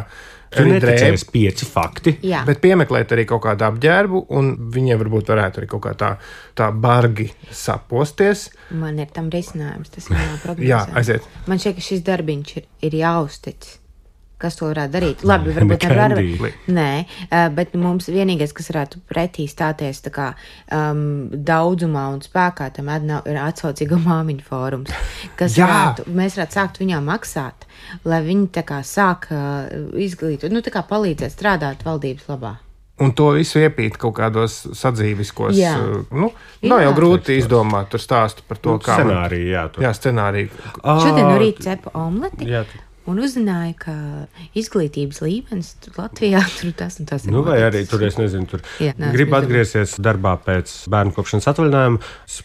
Tu arī neticējies pieci fakti. Jā. bet piemeklēt arī kaut kādu apģērbu, un viņiem varbūt varētu arī kaut kā tā, tā bargi saposties. Man ir tam risinājums, tas ir manā prognozē. Jā, aiziet. Man šķiet, ka šis darbiņš ir, ir jāuztic. Kas to varētu darīt? Labi, varbūt ar varu. Nē, uh, bet mums vienīgais, kas varētu pretī stāties tā kā um, daudzumā un spēkā, tam nav, ir atsaucīgo māmiņu fórums, kas Jā. varētu, mēs varētu sākt viņām maksāt, lai viņi tā kā sāk uh, izglītot, nu tā kā palīdzēt strādāt valdības labā. Un to visu iepīt kaut kādos sadzīviskos. Jā. Nu, Jā. nav jau grūti izdomāt tur stāstu par to, Nu, kā. scenāriju, jā, tur. Jā, scenāriju. Šodien no rīta cepa omleti. Jā, tu- Un uzzināja, ka izglītības līmenis tur Latvijā tur tas un tas ir. Nu, vai arī noticis. tur, es nezinu, tur Jā, neesmu gribu izdomājis. atgriezties darbā pēc bērnu kopšanas atvaļinājuma.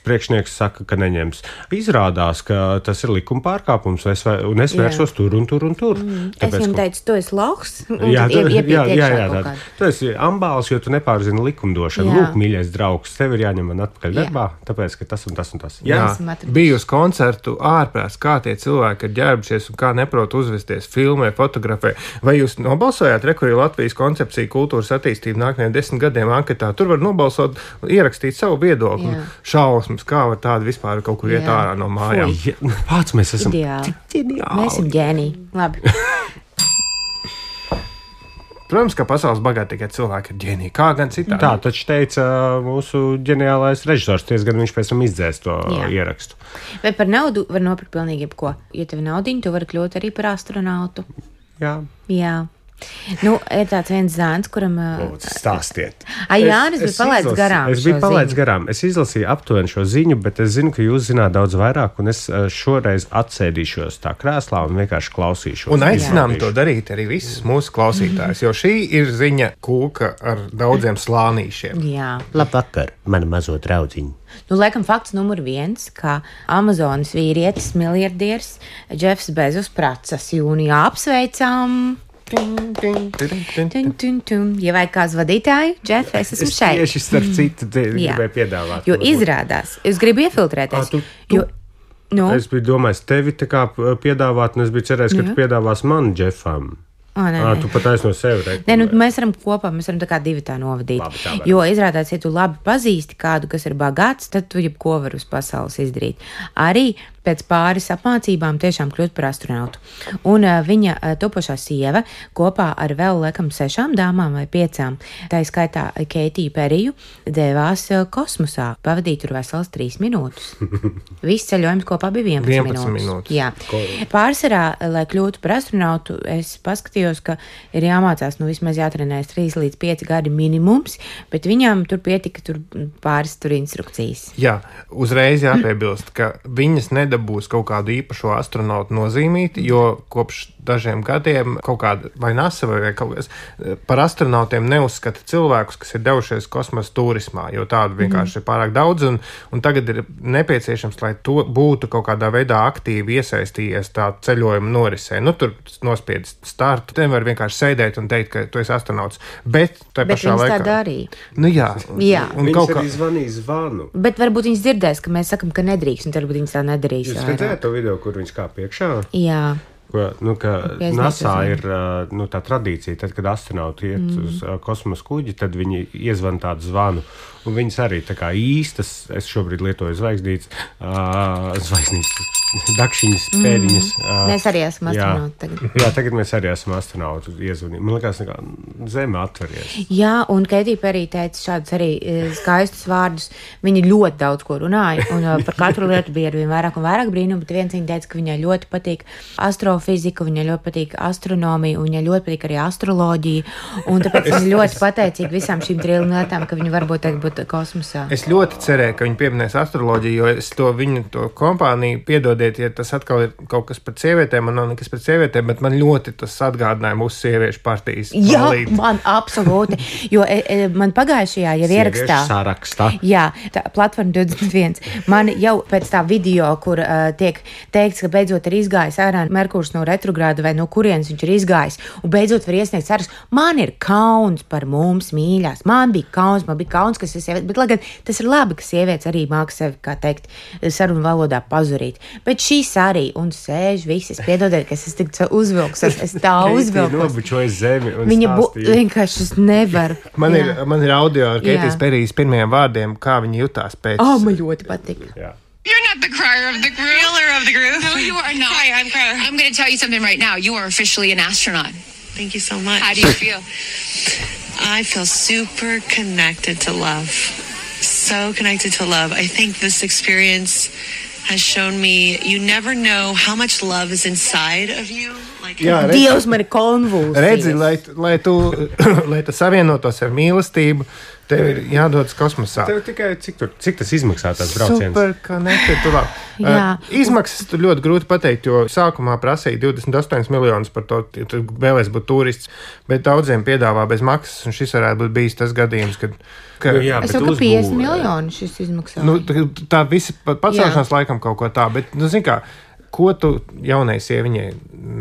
Priekšnieks saka, ka neņems. Izrādās, ka tas ir likuma pārkāpums, es, vai- un es Jā. vērsos tur un tur un tur. Mm, es Tāpēc, viņam ka- teicu, tu esi lohs. un Jā, tad tu, ie- iepiet jā, jā, iekšā jā kaut tā. kādu. Tu esi ambāls, jo tu nepārzini likumdošanu. Jā. Lūk, mīļais draugs, tev ir jāņem man atpakaļ Jā. darbā, tāpēc, ka tas un tas un tas. Jā, esam atraduši. bija uz koncertu ārprāts, kā tie cilvēki ir ģērbušies un kā neprot uzvesties, filmē, fotografē. Vai jūs nobalsojāt Rekurī Latvijas koncepciju kultūras attīstību nākamajiem desmit gadiem anketā? Tur var nobalsot, ierakstīt savu viedokli. Jā. Šausmas, kā var tādi vispār kaut kur iet Jā. ārā no mājām. Jā, pats mēs esam Ideāli. ģeniāli. Mēs esam ģēniji. Labi. Protams, ka pasaules bagātīgie cilvēki ir ģēniji. Kā gan citādi? Tā taču teica mūsu ģeniālais režisors. Diezgan viņš pēc tam izdzēs to Jā. ierakstu. Vai par naudu var nopirkt pilnīgi jebko? Ja tev ir naudiņa, tu vari kļūt arī par astronautu. Jā, Jā. Nu, ir tāds viens zēns, kuram. ā, lūdzu, stāstiet. Ai, Jānis bija palaidis izlasīju- garām Es biju šo palaidis ziņu. garām. Es izlasīju aptuveni šo ziņu, bet es zinu, ka jūs zināt daudz vairāk, un es ā, šoreiz atsēdīšos tā krēslā un vienkārši klausīšos. Un aicinām Izbaudīšu. to darīt arī visus mūsu klausītājus, jo šī ir ziņa kūka ar daudziem slānīšiem. Jā. Labvakar, mana mazo draudziņa. Nu, laikam, fakts numur viens, ka Amazonas vīrietis, miljardieris Džefs Bezos Pracas jūnijā apsveicām. Tun, tun, tun. Ja vajag kāds vadītāju, Džef, es esmu Es šeit. tieši starp citu te Jā. gribēju piedāvāt. Jo varbūt. izrādās, es gribu iefiltrēties. Ā, tu- tu- Jo, nu, Es biju domājis tevi tā kā piedāvāt, un es biju cerējis, ka Jā. tu piedāvās man, Džefam. Ā, nē, Ā, nē. tu pat aiz no sevi reikli. Nē, nu, mēs varam kopā, mēs varam tā kā divi tā novadīt. Labi, tā varam. Jo izrādās, ja tu labi pazīsti kādu, kas ir bagāts, tad tu jebko vari uz pasaules izdarīt. Arī pēc pāris apmācībām tiešām kļūt par astronautu. Un uh, viņa uh, topošā sieva kopā ar vēl laikam sešām dāmām vai piecām, tā skaitā Keitiju Periju, devās uh, kosmosā. Pavadīja tur veselas trīs minūtes. Viss ceļojums kopā bija vienpadsmit, vienpadsmit minūtes. Jā. Pārsvarā, lai kļūtu par astronautu, es paskatījos, ka ir jāmācās, nu vismaz jātrenējas trīs līdz pieci gadi minimums, bet viņām tur pietika tur pāris tur instrukcijas. Jā, uzreiz jāpiebilst, ka viņas nedabūs kaut kādu īpašu astronautu nozīmīti, jo kopš dažiem gadiem kaut kāda vai NASA vai kaut kas par astronautiem neuzskata cilvēkus, kas ir devušies kosmosa turismā, jo tādu vienkārši ir pārāk daudz, un, un tagad ir nepieciešams, lai to būtu kaut kādā veidā aktīvi iesaistījies tā ceļojuma norisē. Nu, tur nospiedz startu, te var vienkārši sēdēt un teikt, ka tu esi astronauts, bet tai Bet pašā viņas tā laikā. darīja. Nu jā, Jā. un Viņš kaut kā. arī zvanīja zvanu. Bet varbūt viņas dzirdēs, ka mēs sakām, ka nedrīkst, un varbūt viņas tā nedarīs. Jūs vairāk. redzējāt to video, kur viņš kā piekšā? Jā. Ko, nu, ka Jā, es NASA nezinu. ir ā, nu, tā tradīcija, tad, kad astronauti iet mm. uz ā, kosmosa kuģi, tad viņi iezvan tādu zvanu. Un viņas arī tā kā īstas, es šobrīd lietoju zvaigznītes, uh, zvaigznītes, dakšiņas, pēdiņas. Uh, Mēs arī esam astronauti tagad. Jā, tagad mēs arī esam astronauti iezvanīti. Man liekas, kā zeme atveries. Jā, un Keitija Perija teica šādus arī e, skaistus vārdus. Viņa ļoti daudz ko runāja, un e, par katru lietu bija arvien vairāk un vairāk brīnumu, bet viens viņa teica, ka viņai ļoti patīk astrofizika, viņai ļoti patīk astronomija, un viņai ļoti patīk arī astroloģija, un tāpēc viņa ļoti pateicīga visām šīm trim lietām, ka viņa varbūt tagad būtu kosmosā. Es ļoti cerēju, ka viņi pieminēs astroloģiju, jo es to viņu to kompāniju piedodiet, ja tas atkal ir kaut kas pret sievietēm, man nav nekas pret sievietēm, bet man ļoti tas atgādināja mūsu sieviešu partijas. Jā, balīti. man absolūti, jo e, e, man pagājušajā jau ierakstā. Sarakstā. Jā, tā platforma divdesmit viens. Man jau pēc tā video, kur uh, tiek teikts, ka beidzot ir izgājis ārā Merkurs no retrogrāda vai no kurienes viņš ir izgājis, un beidzot var iesniegt sarakstu. Man ir kauns par mums, mīļās. Man bija kauns, man bija kauns, kas ir sieviete, bet lai gan tas ir labi, ka sievietes arī māca sevi, kā teikt, sarunu valodā pazurīt. Bet šīs arī, un sēž visas, piedodiet, ka es tik uzvilks, es, es tā uzvilku. Nobučoja zemi un Viņa bu, stāstīja. vienkārši es nevaru. Man Jā. ir, man ir audio ar Keitijas Jā. Perijas pirmajiem vārdiem, kā viņi jutās pēc. Oh, man ļoti patīk. Jā. You're not the crier of the group. Killer of the group. No, you are not. Crier, I'm crier. I'm going to tell you something right now. You are officially an astronaut. Thank you so much. How do you feel? I feel super connected to love. So connected to love. I think this experience has shown me you never know how much love is inside of you. Jā, redzi, Dievs, man ir konvulsijas. redzi lai, lai tu, lai tu savienotos ar mīlestību, tev ir jādodas kosmosā. Tev tikai cik, tur, cik tas izmaksā tās brauciens? Super, ka netieturāk. Jā. Uh, izmaksas tur ļoti grūti pateikt, jo sākumā prasīja divdesmit astoņus miljonus par to, ja tu vēlēs būt turists, bet daudziem piedāvā bez maksas, un šis varētu būt bijis tas gadījums, kad... Ka, Nu jā, Es bet jau ka uzbūve- piecdesmit miljoni šis izmaksā. nu, tā, tā visa pa- pacelšanās laikam kaut ko tā, bet, nu, zin kā, ko tu jaunai sieviņai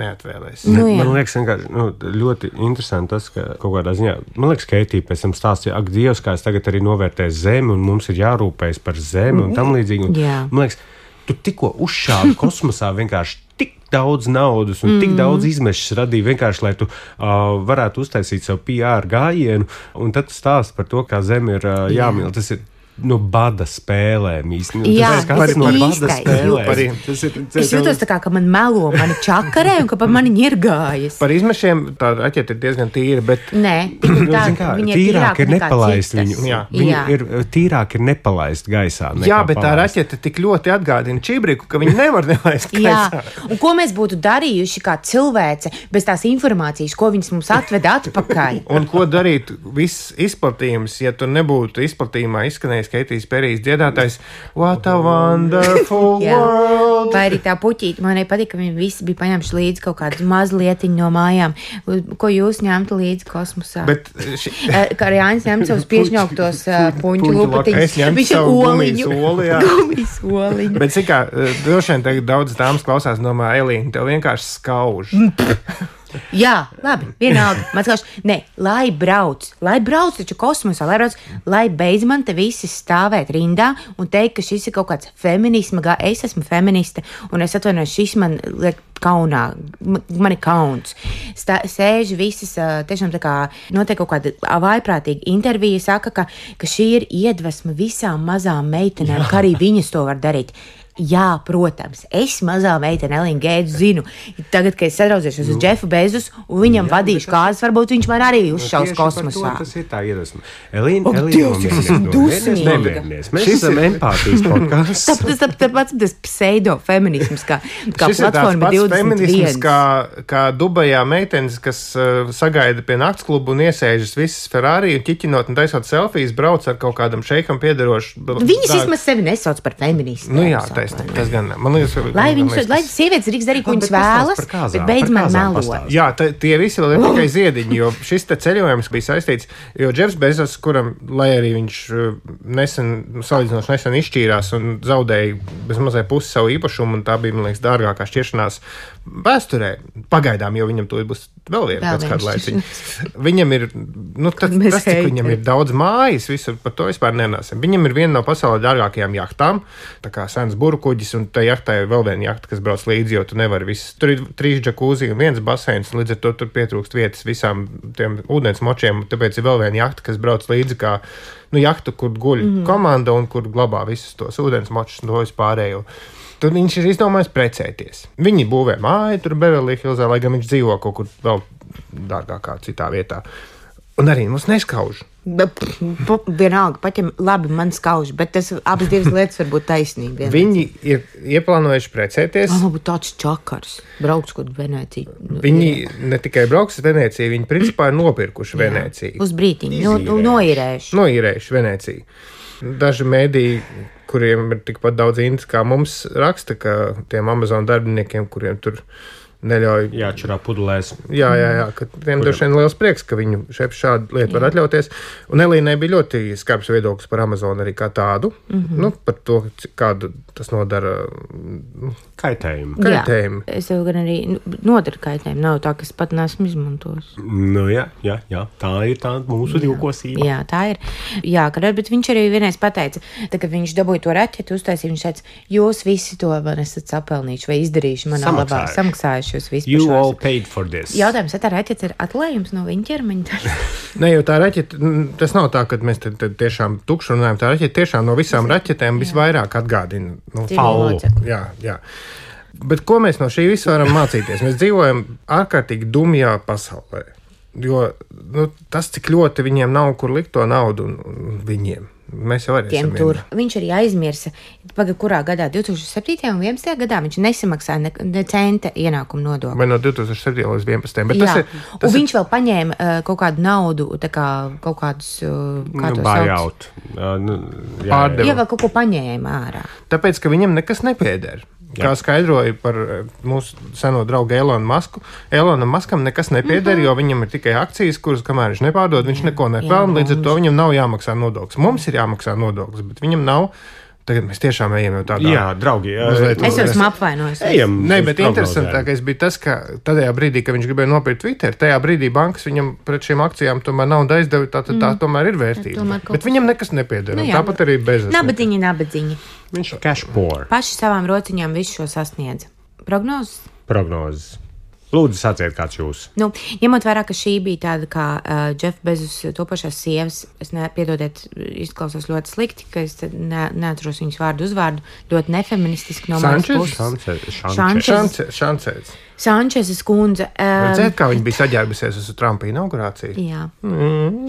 neatvēlēsi? Nu, jā. Man liekas, vienkārši nu, ļoti interesanti tas, ka kaut kādā ziņā, man liekas, Keitija pēc tam stāstīja, ak, Dievs, kā es tagad arī novērtēju zemi, un mums ir jārūpējas par zemi, un tam līdzīgi. Un, Jā. man liekas, tu tikko uzšāvi kosmosā vienkārši tik daudz naudas un mm. tik daudz izmešas radīja vienkārši, lai tu uh, varētu uztaisīt savu P R gājienu, un tad tu stāsti par to, kā zeme ir uh, jāmīl. Tas ir no bada spēlēm īstenībā. Jā, tas tas ir no ir bada īstais spēlēm. jūtas. Tas ir, tas Es jūtos tā kā, ka man melo, mani čakarē un ka pa mani ņirgājas. Par izmešiem tā raķete ir diezgan tīra, bet Nē, tik un tā, Zin kā, viņa ir tīrāk ir nekā nepalaist citas. viņu. Jā. Viņu Jā. ir tīrāk ir nepalaist gaisā. nekā jā, bet tā palaist. raķete tik ļoti atgādina Čibriku, ka viņi nevar nelaist Jā, gaisā. un ko mēs būtu darījuši kā cilvēce bez tās informācijas, ko viņas mums atveda atpakaļ? Un ko darīt viss izplatījums, ja tur nebūtu izplatījumā izskanējis Keitijas Perijas dziedātājs What a wonderful Jā. world! Vai arī tā puķīte, man arī patīk, ka viņi visi bija paņemši līdzi kaut kādu mazlietiņu no mājām, ko jūs ņemtu līdzi kosmosā. Bet ši, Eh, Kā arī Jānis ņem savus piešņauktos uh, puņu puņu lupatiņus. Es ņemtu Viņš ir savu oliņu. gumijas oli, jā. Gumijas oliņu. bet cik kā, droši vien tagad daudz dāmas klausās, domā, Elīna, tev vienkārši skauž. Jā, labi, vienalga. Man skaidrs, ne, lai brauc, lai brauc taču kosmosā, lai brauc, lai beidz man te visi stāvēt rindā un teikt, ka šis ir kaut kāds feminisma, gā, es esmu feministe, un es atvainojos, šis man liek kaunā, m- man ir kauns. Stā, sēž visas, ā, tiešām tā kā notiek kaut kāda vaiprātīga intervija, saka, ka, ka šī ir iedvesma visām mazām meitenēm, ka arī viņas to var darīt. Jā, protams, es mazā meitene Elīna Gēdu zinu. Tagad, kad es sadraudzēšos uz Džefu Bezus un viņam vadīšu kāzas, varbūt viņš man arī uzšaus Tieši par kosmosā. to Tas ir tā iedvesma. Elīna, Ak, Elīna, Dievs, cik es esmu dusmīga. nomierinies. Mēs Šis esam ir- empātijas podkāsts. Tāpēc tas, tāpēc tas pseido-feminisms, kā, kā Šis ir tāds platforma pats divdesmit feminisms, viens. kā, kā Dubajā meitenes, kas uh, sagaida pie naktsklubu un iesēžas visas Ferrari un ķiķinot un taisot selfijas, brauc ar kaut kādam šeikam piederošu. Viņas vismaz sevi nesauc par feministiem. Nu jā, taisnība, tas gan. Man liekas, Lai man viņas, liekas, lai sievietes drīkst darīt, ko Labi, viņas bet pastāst vēlas, par kāzām, bet beidz par man kāzām melot. pastāst. Jā, ta, tie visi vēl ir tikai ziediņi, jo šis te ceļojums bija saistīts, jo Džefs Bezos, kuram, lai arī viņš uh, nesen, salīdzinoši nesen izšķīrās un zaudēja bezmazai pusi savu īpašumu, un tā bija, man liekas, dārgākā šķiršanās vēsturē, pagaidām, jo viņam to būs vēl viena Vēl pēc viena kāda laiciņa. Viņam ir, nu, tas, Mēs tas cik heiteri. viņam ir daudz mājas, visur par to vispār nenāsim. Viņam ir viena no pasaulē dārgākajām jahtām, tā kā sens burkuģis, un tā jahtā ir vēl viena jahta, kas brauc līdzi, jo tu nevari viss. Tur ir trīs džakūzi un viens baseins, un līdz ar to tur pietrūkst vietas visām tiem ūdens močiem, un tāpēc ir vēl viena jahta, kas brauc līdzi kā, nu, jahta, kur guļ mm -hmm. komanda un kur glabā visus tos ūdens močus un to vispārējo. Tad viņš ir izdomājis precēties. Viņi būvē māju tur Beverly Hillsā, lai gan viņš dzīvo kaut kur vēl dārgākā citā vietā. Un arī mums neskauž. Bet, p- Vienalga, pat ja labi man skauž, bet tas abas divas lietas var būt taisnīgi. Viņi ir ieplānojuši precēties. Man būtu tāds čakars, brauks kaut Venēciju. Viņi ne tikai brauks uz Venēciju, viņi principā ir nopirkuši Venēciju. Uz brītiņu, no, no, noīrējuši. Noīrējuši Venēciju. Daži mēdīji, kuriem ir tikpat daudz intas kā mums, raksta, ka tiem Amazon darbiniekiem, kuriem tur neļauj. Jāčurā pudelēs. Jā, jā, jā, ka tiem droši vien liels prieks, ka viņu šeit šādu lietu var atļauties. Un Elīnai bija ļoti skarbs viedoklis par Amazon arī kā tādu. Mm -hmm. Nu, par to, cik- kādu tas nodara nu, Kaitējumu. kaitējumu. Jā, es tev gan arī nu, nodaru kaitējumu. Nav tā, ka es pat neesmu izmantojis. Nu, jā, jā, jā, tā ir tā mūsu divkosība. Jā, tā ir. Jā, kad, bet viņš arī vienreiz pateica, tā, kad viņš dabūja to raķeti, uztaisīja, viņš teica, jūs visi to man esat sapelnījuši vai izdarījuši manā labā, Samaksājuši. samaksājuši jūs visi. You par šo all esat. paid for this. Jautājums, vai tā raķete ir atlējums no viņa ķermeņa? Ne, jo tā raķete, mm, tas nav tā, ka mēs te, te tiešām tukši runājam. Tā raķete tiešām no visām raķetēm visvairāk atgādina. Nu, Dzīvo faulu. locekli. Jā, jā. Bet ko mēs no šī visa varam mācīties? Mēs dzīvojam ārkārtīgi dumjā pasaulē. Jo nu, tas, cik ļoti viņiem nav kur likt to naudu, un, un viņiem Mēs jau arī esam tur. Viņš arī aizmirsa, paga, kurā gadā, divtūkstoš septītajā un vienpadsmitajā gadā viņš nesamaksāja ne, ne centa ienākumu nodokli. Vai no divtūkstoš septītajā līdz vienpadsmitajam. Bet jā, tas ir, tas un ir... viņš vēl paņēma uh, kaut kādu naudu, tā kā kaut kādus, uh, kā nu, to sauc? Uh, nu, jā, Pārdevu. Jā, vēl kaut ko paņēma ārā. Tāpēc, ka viņam nekas nepieder. Kā skaidroja par mūsu seno draugu Elonu Masku, Elonam Maskam nekas nepieder, mm-hmm. jo viņam ir tikai akcijas, kuras, kamēr viņš nepārdod, viņš jā, neko nepelna, līdz ar to viņam nav jāmaksā nodoklis. Mums ir jāmaksā nodoklis, bet viņam nav. Tagad mēs tiešām ejam jau tādā. Jā, draugi. Jā, es jau esmu apvainojis. Ejam. Nē, bet interesantākais bija tas, ka tajā brīdī, kad viņš gribēja nopirkt Twitter, tajā brīdī bankas viņam pret šīm akcijām tomēr naudu aizdeva, tā, tā, tā mm. tomēr ir vērtība. Tomēr bet kaut... viņam nekas nepieder. Nu, jā, tāpat arī bez. Nabadziņi, nabadziņi. Viņš ir cash poor. Paši savām rociņām visu šo sasniedz. Prognozes? Prognozes. Lūdzu, sāciet, kāds jūs. Nu, ņemot vērā, ka šī bija tāda kā uh, Jeff Bezos topošās sievas, es nepiedodiet, izklausos ļoti slikti, ka es ne, neatceros viņas vārdu uzvārdu, ļoti nefeministiski no manas puses. Šančes. Šančes. Sančesas kundze. Um, Redzēt, kā viņa bija saģērbusies uz Trumpa inaugurāciju? Jā. Mm.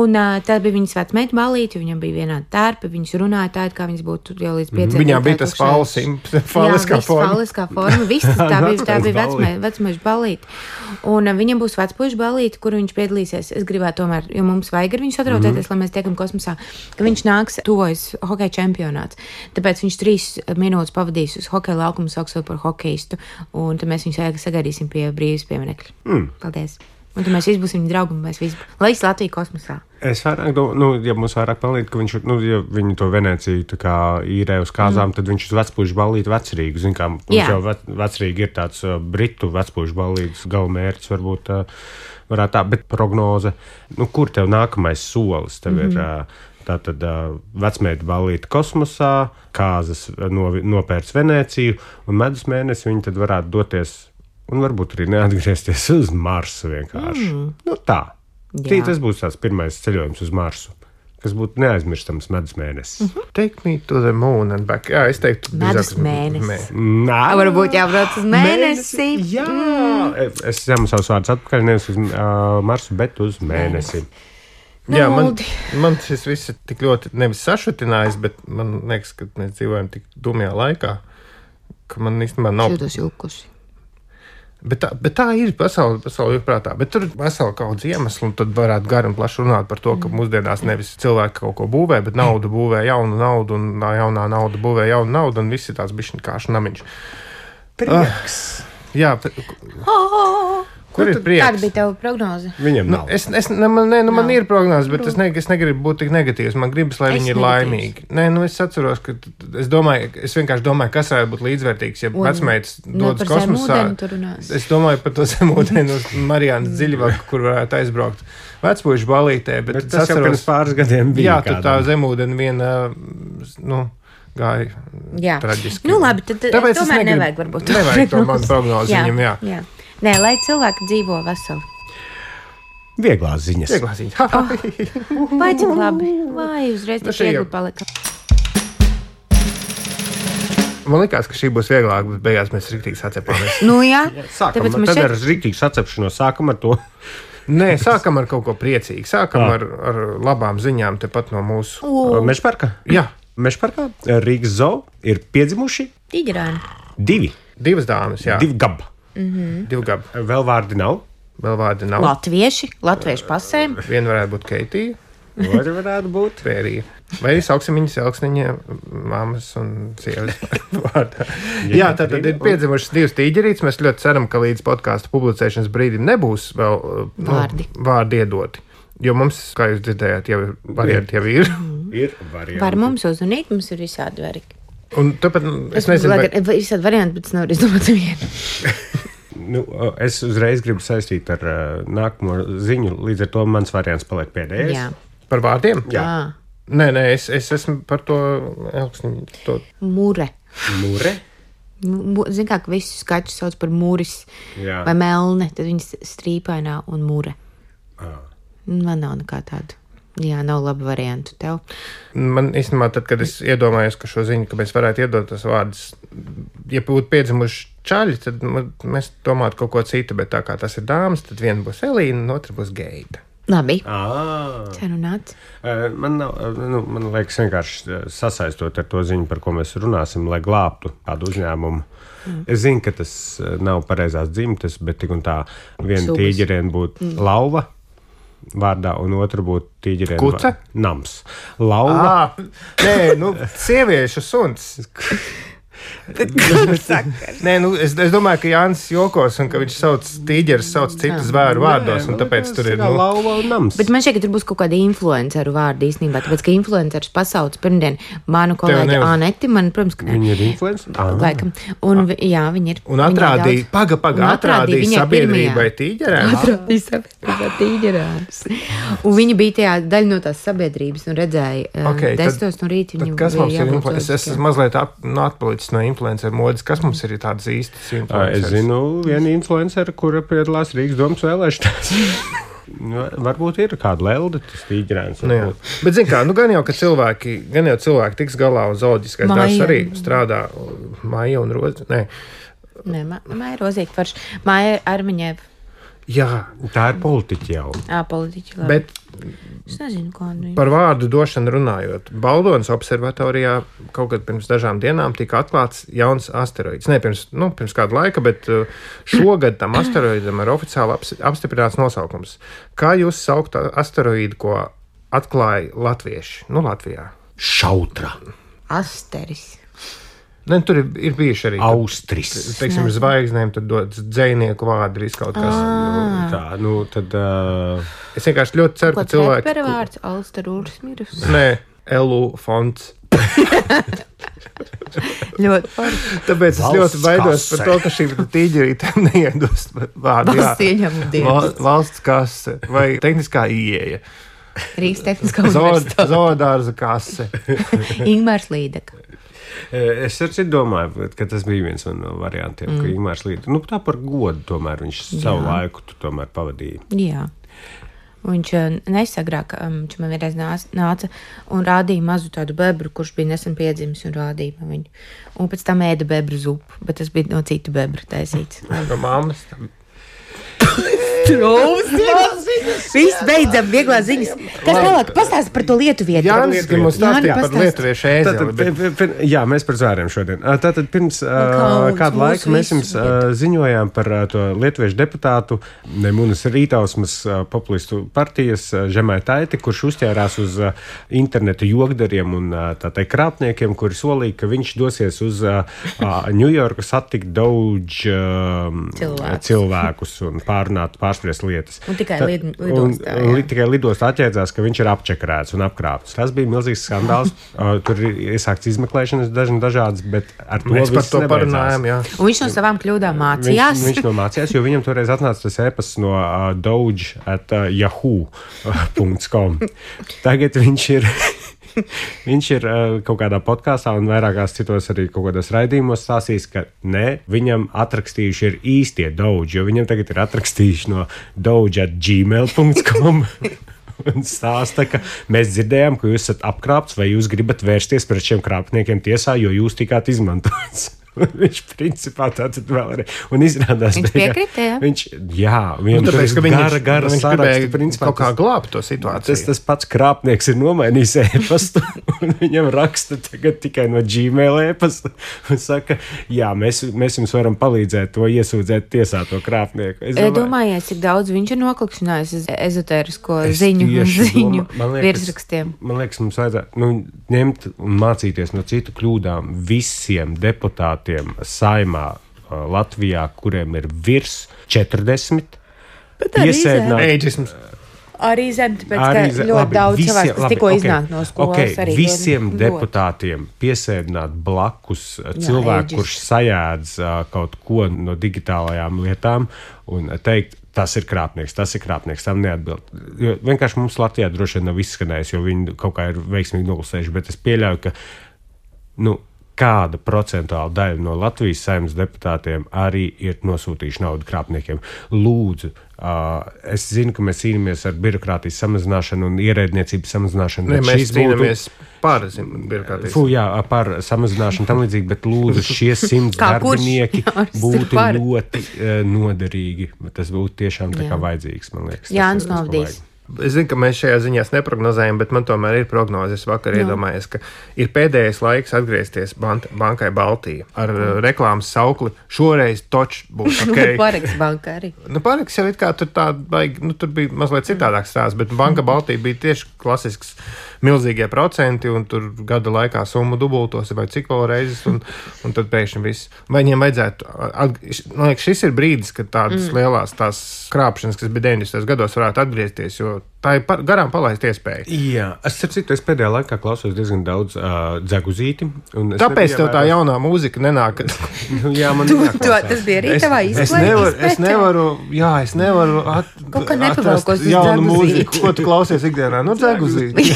Un uh, tā bija viņas vecmeita balīte, viņam bija vienādi tērpi, viņas runāja tā, kā viņas būtu jau līdz pieciem. Viņām bija tas faliskā forma. Jā, faliskā forma, viss tā bija, tā bija vecmeita balīte. Un uh, viņam būs vecpuišu balīte, kur viņš piedalīsies. Es gribētu tomēr, jo mums vajag ar viņu sadraudzēties, mm. lai mēs tiekam kosmosā, ka viņš nāks tuvojas hokeja čempionāts. Tāpēc viņš trīs minūtes pavadīs uz hokeja laukumu, sauksot par hokeistu, un tad mēs viņus sagaidīsim pie brīvības pieminekļa. Mm. Paldies. Un tad mēs visi būsim viņa draugi, un mēs visi, lai es Latviju kosmosā. Es vairāk, do, nu, ja mums vairāk palīdz, ka viņš, nu, ja viņi to Venēciju tā kā īrē uz kāzām, mm. tad viņš uz vecpušu ballīti vecrīgu. Zin kā, mums Jā. jau vec, vecrīgi ir tāds uh, britu vecpušu ballītis galvmērķis, varbūt uh, varētu tā, bet prognoze, nu, kur tev nākamais solis? Tev mm-hmm. ir uh, tātad uh, vecmeita ballīti kosmosā, kāzas no, nopērts Venēciju, un medus mēnesi viņi tad varētu doties un varbūt arī neatgriezties uz Marsu vienkārši. Mm. Nu tā. Tī, tas būs tās pirmais ceļojums uz Marsu, kas būtu neaizmirstams medus mēnesis. Mm-hmm. Take me to the moon and back. Jā, es teiktu. Medus mēnesis. Nā. Varbūt jābrauc uz mēnesi. mēnesi. Jā. Mm. Es ņemu savus vārdus atpakaļ, nevis uz uh, Marsu, bet uz mēnesi. Jā, man, man šis viss ir tik ļoti nevis sašutinājis, bet man liekas, ka mēs dzīvojam tik dumjā laikā, ka man īstenībā nav... Šūtos jūkusi. Bet tā, bet tā ir pasaule, pasaule ir prātā. Bet tur ir vesela kaut iemeslu, un tad varētu gari un plaši runāt par to, ka mūsdienās nevis cilvēki kaut ko būvē, bet nauda būvē jaunu naudu, un jaunā nauda būvē jaunu naudu, un viss ir tās bišķiņ kāšu namiņš. Prieks. Uh, jā. Oh. Kur ir prieks? Kāda bija tava prognoze? Viņam nav. Nu, es, es, ne, man, ne, nu, man ir prognoze, bet es, ne, es negribu būt tik negatīvs. Man gribas, lai es viņi ir laimīgi. Nē, nu, es atceros, ka es domāju, es vienkārši domāju, kas varētu būt līdzvērtīgs, ja vecmeitas dodas kosmosā. Es domāju par to zemūdeni uz Mariānas dziļvaku, kur varētu aizbraukt vecpuišu balītē. Bet, bet tas atceros, jau pirms pāris gadiem bija. Jā, tur tā zemūdeni viena, nu, gāja jā. traģiski. Nu, labi, tad Tāpēc tomēr negribu, nevajag varbūt. Nevajag to man prognozi jā, viņam, jā. jā. Nē, lai cilvēki dzīvo veseli. Vieglās ziņas. Vieglās ziņas. Oh, vai cik labi. Vai uzreiz tik viegli palika. Man likās, ka šī būs vieglāk, bet beigās mēs riktīgi sacepāmies. Nu jā. Sākam, tad šeit... ar riktīgu sacepšanos sākam ar to. Nē, sākam ar kaut ko priecīgu. Sākam ar, ar labām ziņām tepat no mūsu. Uh. Mežparka? Jā. Mežparkā Rīgas zoo ir piedzimuši. Tīģerāni. Divi. Divas dāmas, jā. Divi gaba. Mm-hmm. Divi gabi. Vēl vārdi nav. Vēl vārdi nav. Latvieši, latviešu pasēm. Viena varētu būt Keitija. Vai varētu būt Vērija. Vai arī sauksim viņas elksniņa mammas un sievas vārdā. Jā, tad ir piedzimušas divas tīģerītes. Mēs ļoti ceram, ka līdz podkāstu publicēšanas brīdim nebūs vēl nu, vārdi. vārdi iedoti. Jo mums, kā jūs dzirdējāt, jau varianti jau ir. Ir varianti. Var mums uzrunīt, mums ir visādi varianti. Un tāpēc es, es nezinu, vai... vai visādi varianti, bet es nevaru izdomāt vienu. Nu, es uzreiz gribu saistīt ar uh, nākamo ziņu, līdz ar to mans variants paliek pēdējais. Jā. Par vārdiem? Jā. Nē, nē, es, es esmu par to elksniņu. To... Mure. Mure? Zin kā, ka visus skačus sauc par muris Jā. vai melne, tad viņas strīpainā un mure. Ah. Man nav nekā tāda. Jā, nav labu variantu tev. Man īstenībā, tad, kad es iedomājos, ka šo ziņu, ka mēs varētu iedot tos vārdus, ja būtu piedzimuši čaļi, tad mēs domātu kaut ko citu, bet tā kā tas ir dāmas, tad viena būs Elīna, un otra būs Geita. Labi. Ah. Sarunāts. Man, nav, nu, man liekas, vienkārši sasaistot ar to ziņu, par ko mēs runāsim, lai glābtu kādu uzņēmumu. Mm. Es zinu, ka tas nav pareizās dzimtes, bet tik un tā viena tīģeriena būtu mm. lauva vārdā, un otra būtu tīģeriena Kuce? Nams. Lauva. Ah, nē, nu, sieviešu suns. Nē, nu, es, es domāju, ka Jānis jokos un ka viņš sauc tīģeris, sauc citu zvēru vārdos, un tāpēc tur ir nu, lauva un nams. Bet man šķiet, ka tur būs kaut kāda influenceru vārdi īstenībā, tāpēc, ka influencerus pasauc pirmdien manu kolēģi Aneti, man, protams, ka... Viņi ir influenceri? Ah. Laikam. Un, ah. jā, viņi ir... Un atrādīja, paga, paga, atrādīja sabiedrībai tīģerēnus. Atrādīja sabiedrībai tīģerēnus. Un viņi bija tajā daļa no tās sabiedrības un redzēja okay, desmitos no rīta. Tad kas mums ir influencers? Es esmu mazliet ap, nu, atpalicis no influenceru modes. Kas mums ir tādas īstas influenceres? Es zinu vienu influenceru, kura piedalās Rīgas domas vēlēšanās. Varbūt ir kāda lelde, tas tīģerēns. Nu, bet, zin kā, nu gan jau, ka cilvēki, gan jau cilvēki tiks galā un zooloģiskais darbs arī strādā. Maija un Rozi, nē. Nē, Maija Rozīte farš. Maija Armiņēva. Jā. Tā ir politiķi jau. Jā, politiķi, labi. Bet es nezinu, ko viņi. Par vārdu došanu runājot. Baldonas observatorijā kaut kad pirms dažām dienām tika atklāts jauns asteroīds. Ne pirms, nu, pirms kāda laika, bet šogad tam asteroīdam ir oficiāli apstiprināts nosaukums. Kā jūs saukt asteroīdu, ko atklāja latvieši? Nu, Latvijā. Šautra. Asteris. Ne, tur ir, ir bijuši arī Austris. Teiksim, zvaigznēm tad dodas dzejnieku vārdi ir kaut kas. Ah. Tā, nu, tad... Uh... Es vienkārši ļoti ceru, ka cilvēki... Ko vārds? Alstarūras mirus? Nē, Elu fonts. Ļoti forši. Tāpēc es Valsts ļoti baidos kase. par to, ka šī tīģerītēm neiedos vārdu. Valsts ieņēmuma dienas. Val, valsts kase vai tehniskā ieeja. Rīgas tehniskā Zood, universitāte. zoodārza kase. Ingmārs Līdeka. Es arī domāju, ka tas bija viens no variantiem, mm. ka Ingmārs Līdeka, nu tā par godu tomēr viņš Jā. savu laiku tu tomēr pavadīja. Jā. Viņš nesagrāk, viņš man vienreiz nāca un rādīja mazu tādu bebru, kurš bija nesen piedzimis un rādīja man viņu. Un pēc tam ēda bebru zupu, bet tas bija no citu bebru taisīts. No mammas. Viss beidzam, vieglās ziņas. Kas tālāk? Pastāsti par to lietuvieti. Jānis, ka mums stāstīja par lietuviešu ēzeli. Bet... Jā, mēs par zvēriem šodien. Tātad pirms uh, kādu laiku mēs jums uh, ziņojām par uh, to lietuviešu deputātu Nemunas Rītausmas uh, populistu partijas uh, Žemaitaiti, kurš uzķērās uz uh, internetu jogdariem un uh, tā teikt krāpniekiem, kuri solīja, ka viņš dosies uz uh, Ņujorku satikt daudz uh, cilvēkus. cilvēkus un pārunāt, pārspriest lietas. Un tikai Ta, lid, lidostā. Un, un, tikai lidostā atķēdzās, ka viņš ir apčakarēts un apkrāpts. Tas bija milzīgs skandāls. Tur ir iesākts izmeklēšanas daži dažādas, bet ar to mēs par to parunājām, jā. Un viņš no savām kļūdām mācījās. Viņš, viņš no mācījās, jo viņam toreiz atnāca tas e-pasts no uh, doge at uh, yahoo dot com. Tagad viņš ir... Viņš ir uh, kaut kādā podkāstā un vairākās citos arī kaut kādos raidījumos stāstījis, ka ne, viņam atrakstījuši ir īstie doge, jo viņam tagad ir atrakstījuši no doge at gmail dot com un stāsta, ka mēs dzirdējām, ka jūs esat apkrāpts vai jūs gribat vērsties pret šiem krāpniekiem tiesā, jo jūs tikāt izmantots. Viņš principā tātad vēl arī. Un izrādās, viņš piekrita, jā? Viņš, jā, viņam nu, tāpēc, tur ir gara, gara viņš saraksti. Principā, kaut kā glābt to situāciju. Tas, tas pats krāpnieks ir nomainījis e-pastu, un viņam raksta tagad tikai no Gmail e-pasta, un saka, jā, mēs, mēs jums varam palīdzēt to iesūdzēt tiesā to krāpnieku. Es domāju, domājiet, cik daudz viņš ir noklikšķinājis ezotērisko ziņu, ziņu liekas, virsrakstiem. Man liekas, mums vajadzētu nu, ņemt un mācīties no citu kļūdām visiem deputātiem Saimā Latvijā, kuriem ir virs četrdesmit. Eidžisms. Arī zem, tāpēc, ka ļoti labi, daudz visiem, cilvēks, kas tikko okay, iznāk no skolas. Okay, arī visiem ļoti, deputātiem piesēdināt blakus jā, cilvēku, eģis. Kurš sajēdz uh, kaut ko no digitālajām lietām un teikt, tas ir krāpnieks, tas ir krāpnieks, tam neatbild. Jo vienkārši mums Latvijā droši vien nav izskanējis, jo viņi kaut kā ir veiksmīgi noklusējuši, bet es pieļauju, ka, nu, kāda procentuāla daļa no Latvijas Saeimas deputātiem arī ir nosūtījuši naudu krāpniekiem. Lūdzu, uh, es zinu, ka mēs cīnāmies ar birokrātijas samazināšanu un ierēdniecības samazināšanu. Ne, mēs cīnāmies būtu... par birokrātijas. Fū, jā, par samazināšanu tam līdzīgi, bet lūdzu, šie simts darbinieki jā, būtu ļoti uh, noderīgi. Tas būtu tiešām tā kā vajadzīgs, man liekas. Jānis Novdīs. Es zinu, ka mēs šajā ziņā neprognozējam, bet man tomēr ir prognoze. Es vakar no. iedomājos, ka ir pēdējais laiks atgriezties bankai Baltija ar mm. reklāmas saukli. Šoreiz toč būs ok. Pareks banka arī. Nu, Pareks jau it kā tur tā, nu, tur bija mazliet citādāks stāsts, bet banka Baltija bija tieši klasisks milzīgie procenti, un tur gada laikā summa dubultos vai cik vēl reizes, un, un tad pēkšņi viss. Vai viņiem vajadzētu, man liekas, šis ir brīdis, kad tādas mm. lielās tās krāpšanas, kas bija deviņdesmitajos gados, varētu atgriezties, jo tā ir par, garām palaist iespēja. Jā, es citu, es pēdējā laikā klausos diezgan daudz uh, dzeguzīti. Tāpēc tev tā jaunā mūzika nenāk. Jā, man tu, tu, tas bija arī tavā izklaides. Es nevaru, es nevaru, jā, es nevaru at, atrast jaunu mūziku. Ko tu klausies ikdienā? Nu, dzeguzīti.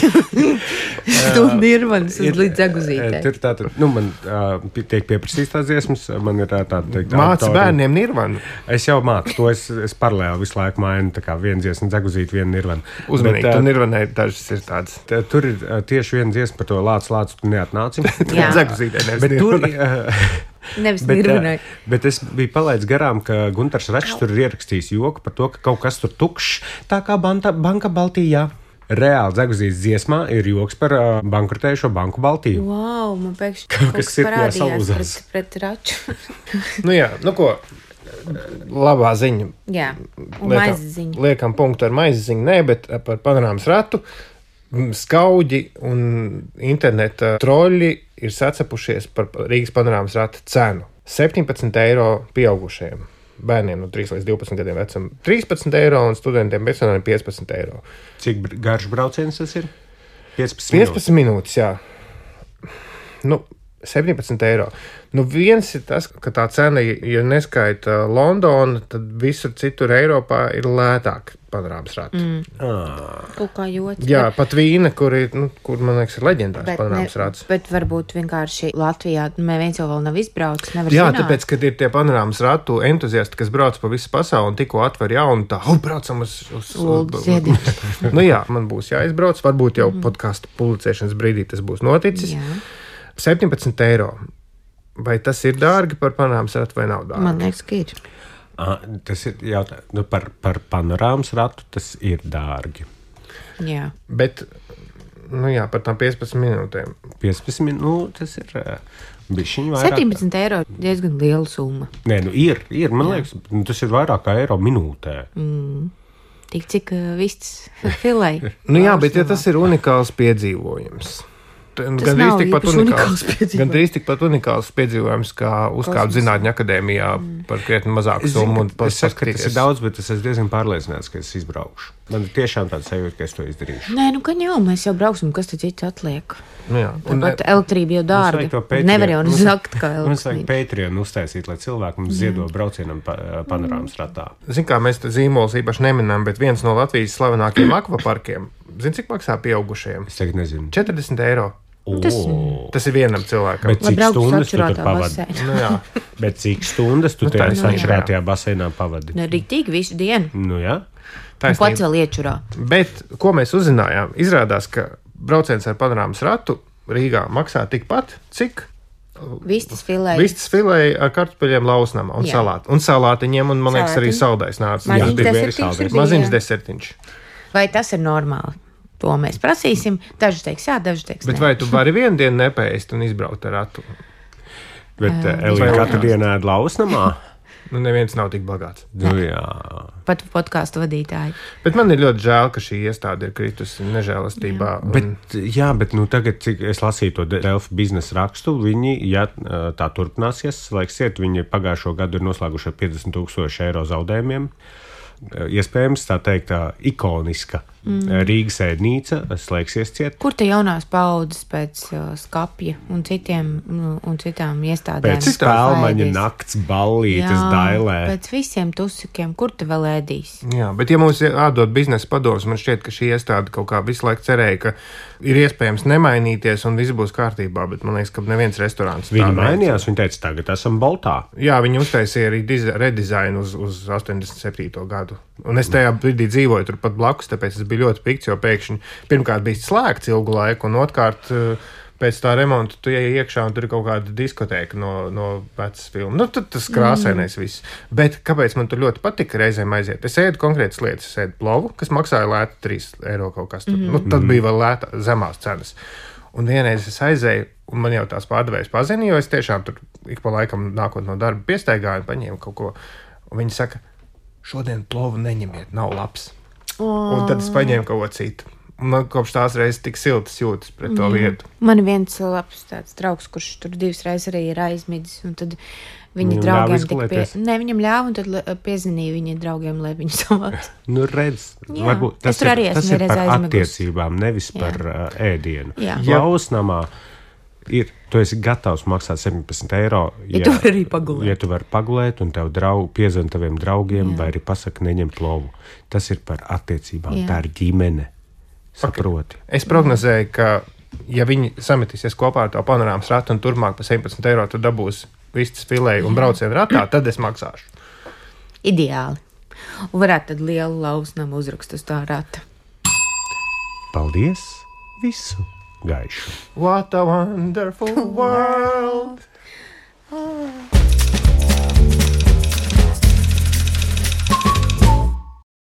Tu nirvanas uz līdz dzeguzītē. Tur tātad, nu, man uh, tiek pieprasīts tās dziesmas, man ir tā teikt. Māc bērniem nirvanu. Es jau mācu to, es, es paralēli visu laiku mainu, tā kā viena dziesma dzeguzīti, viena nirvana. Uzmanīgi, tu nirvanē dažas ir tādas. Tur ir uh, tieši viena dziesma par to lāc, lāc, tu neatnāci. Jā. Dzeguzītē, nevis bet tur, uh, nevis bet, nirvanai. Uh, bet es biju palaidis garām, ka Guntars Račs tur ir ierakstījis joku par to, ka kaut kas tur tukšs, tā kā banta, banka Baltijā. Reāli dzeguzītas dziesmā ir joks par uh, bankrotējušo banku Baltiju. Wow, man pēkšņi kaut kaut kas kas sirdī parādījās salūzās. pret, pret Raču. nu jā, nu ko, labā ziņa. Jā, un Liekam- maizes ziņa. Liekam punktu ar maizes ziņu, nē, bet par panorāmas ratu. Skauģi un interneta troļi ir sacepušies par Rīgas panorāmas rata cenu. septiņpadsmit eiro pieaugušajiem. Bērniem no trīs līdz divpadsmit gadiem vecam trīspadsmit eiro un studentiem personāliem piecpadsmit eiro. Cik br- garš brauciens tas ir? piecpadsmit piecpadsmit minūtes, jā. Nu, septiņpadsmit eiro. Nu, viens ir tas, ka tā cena, ja neskaita Londonu, tad visur citur Eiropā ir lētāk panorāmas rati. Mm. Ah. Kaut kā jots. Jā, pat Vīna, kur, ir, nu, kur man liekas, ir leģendārs panorāmas rats. Bet varbūt vienkārši Latvijā neviens jau vēl nav izbraucis. Nevar Jā, zināt. tāpēc, kad ir tie panorāmas ratu entuziasti, kas brauc pa visu pasauli un tikko atver jaunu, tā, oh, braucam uz... uz, Lūdzu, uz ziediet. nu jā, man būs jāizbrauc, varbūt jau mm. podkāstu publicēšanas brīdī tas būs noticis. Jā. septiņpadsmit eiro. Vai tas ir dārgi par panorāmas ratu vai nav dārgi? Man liekas, ka ir. Ah, tas ir jautājums nu, par, par panorāmas ratu, tas ir dārgi. Jā. Bet, nu jā, par tām piecpadsmit minūtēm. piecpadsmit minūtes, tas ir uh, bišķiņ vairāk. septiņpadsmit eiro diezgan liela summa. Nē, nu ir, ir, man Jā. liekas, nu, tas ir vairāk kā eiro minūtē. Mm. Tik cik uh, vists filei. Nu jā, bet ja tas ir unikāls piedzīvojums. Gan drīz tikpat unikāls, gan drīz tikpat unikāls piedzīvojums, kā uzkāpt zinātņu akadēmijā mm. par krietni mazāku summu. Un es saku, ka tas ir daudz, bet es esmu diezgan pārliecināts, ka es izbraukšu. Man ir tiešām tāds sajūta, ka es to izdarīšu. Nē, nu gan jau, mēs jau brauksim, kas tad cits atliek. Nu jā, un Tāpat elektrība jau dārga. Nevar jau nozakt, kā elektrība. Mums vajag Patreon uztaisīt, lai cilvēki mums ziedo braucienam pa, panorāmas ratā. Zin kā, mēs te zīmolus īpaši neminam, bet viens no Latvijas slavenākajiem akvaparkiem, zin cik maksā pieaugušajiem? Es tagad nezinu. četrdesmit eiro. Tas, tas ir vienam cilvēkam. Bet cik stundas tu tur pavadi? Nu, jā. Bet cik stundas tu Nu, tajā taisnība, sačurētajā baseinā pavadi? Nu, rīktīgi visu dienu. Nu, jā. Un pats vēl iečurā. Bet, ko mēs uzzinājām? Izrādās, ka brauciens ar panorāmas ratu Rīgā maksā tikpat, cik Vistas filē. vistas filē ar kartupeļiem lausnamā un Jā. salātu. Un salātiņiem, un man liekas, arī saldais nāca. Maziņš Jā, bija desertiņš saldais. bija, Maziņš jā. desertiņš. Vai tas ir normāli? To mēs prasīsim. Daži teiks jā, daži teiks Bet nē. vai tu vari vienu dienu nepēst un izbraukt ar ratu? Bet Ā, Elīna vai- katru dienu ēd lausnamā? Nu, neviens nav tik bagāts. Nu, jā. Pat podkāstu vadītāji. Bet man ir ļoti žēl, ka šī iestāde ir kritusi nežēlastībā. Un... Bet, jā, bet nu, tagad, cik es lasīju to Delfi biznesa rakstu, viņi, ja tā turpināsies, laiks iet, viņi pagājušo gadu ir noslēguši ar piecdesmit tūkstoši eiro zaudējumiem. Iespējams, tā teikt, tā ikoniska mm. Rīgas ēdnīca slēgsies ciet. Kur te jaunās paudzes pēc uh, skapja un, citiem, nu, un citām iestādēm? Pēc spēlmaņa nakts ballītes dailē. Pēc visiem tusikiem, kur te vēl ēdīs? Jā, bet ja mums jādod biznesa padoms, man šķiet, ka šī iestāde kaut kā visu laiku cerēja, ka ir iespējams nemainīties un viss būs kārtībā, bet man liekas, ka neviens restorāns Viņi mainījās, viņi teica, tagad esam Boltā. Jā, viņi uztaisīja arī diza- redizainu uz, uz astoņdesmit septīto gadu. Un es tajā brīdī dzīvoju turpat blakus, tāpēc es biju ļoti pikts, jo pēkšņi pirmkārt bija slēgts ilgu laiku, un otrkārt pēc tā remonta tu ej iekšā un tur ir kaut kāda diskotēka no, no vecas filmas. Nu, tad tas krāsainais mm. viss. Bet kāpēc man tur ļoti patika reizēm aiziet? Es ēdu konkrētas lietas, es ēdu plovu, kas maksāja lēti trīs eiro kaut kas tur. Mm. Nu, tad bija vēl lēta, zemās cenas. Un vienreiz es aizēju, un man jau tās pārdevējs pazina, jo es tiešām tur ik pa laikam nākot no darba piestaigāju un paņēmu kaut ko. Un viņi saka, šodien plovu neņemiet, nav labs. Oh. Un tad es paņēmu kaut ko citu. Man kopš tās reizes tik siltas jūtas pret to vietu. Man ir viens labs tāds draugs, kurš tur divas reizes arī ir aizmidzis, un tad viņa Viņam draugiem tik pie... Ne, viņam ļāva, un tad piezinīja viņa draugiem, lai viņu savāc. Nu, redz, Jā, varbūt tas ir, ir, tas ir par aizmigus. attiecībām, nevis Jā. par uh, ēdienu. Jā. Lausnamā ir, tu esi gatavs maksāt septiņpadsmit eiro, ja, ja tu vari arī pagulēt. Ja tu vari pagulēt, un tev draug, piezvan taviem draugiem, Jā. vai arī pasaka, neņem plovu. Tas ir par attiecībām, Jā. tā ir ģimene. Saproti. Okay. Es prognozēju, ka, ja viņi sametīsies kopā ar to panorāmas ratu un turpmāk pa septiņpadsmit eiro tu dabūs vistas filēju un braucienu ratā, tad es maksāšu. Ideāli. Un varētu tad lielu lausnamu uzrakstu uz tā rata. Paldies! Visu gaišu! What a wonderful world!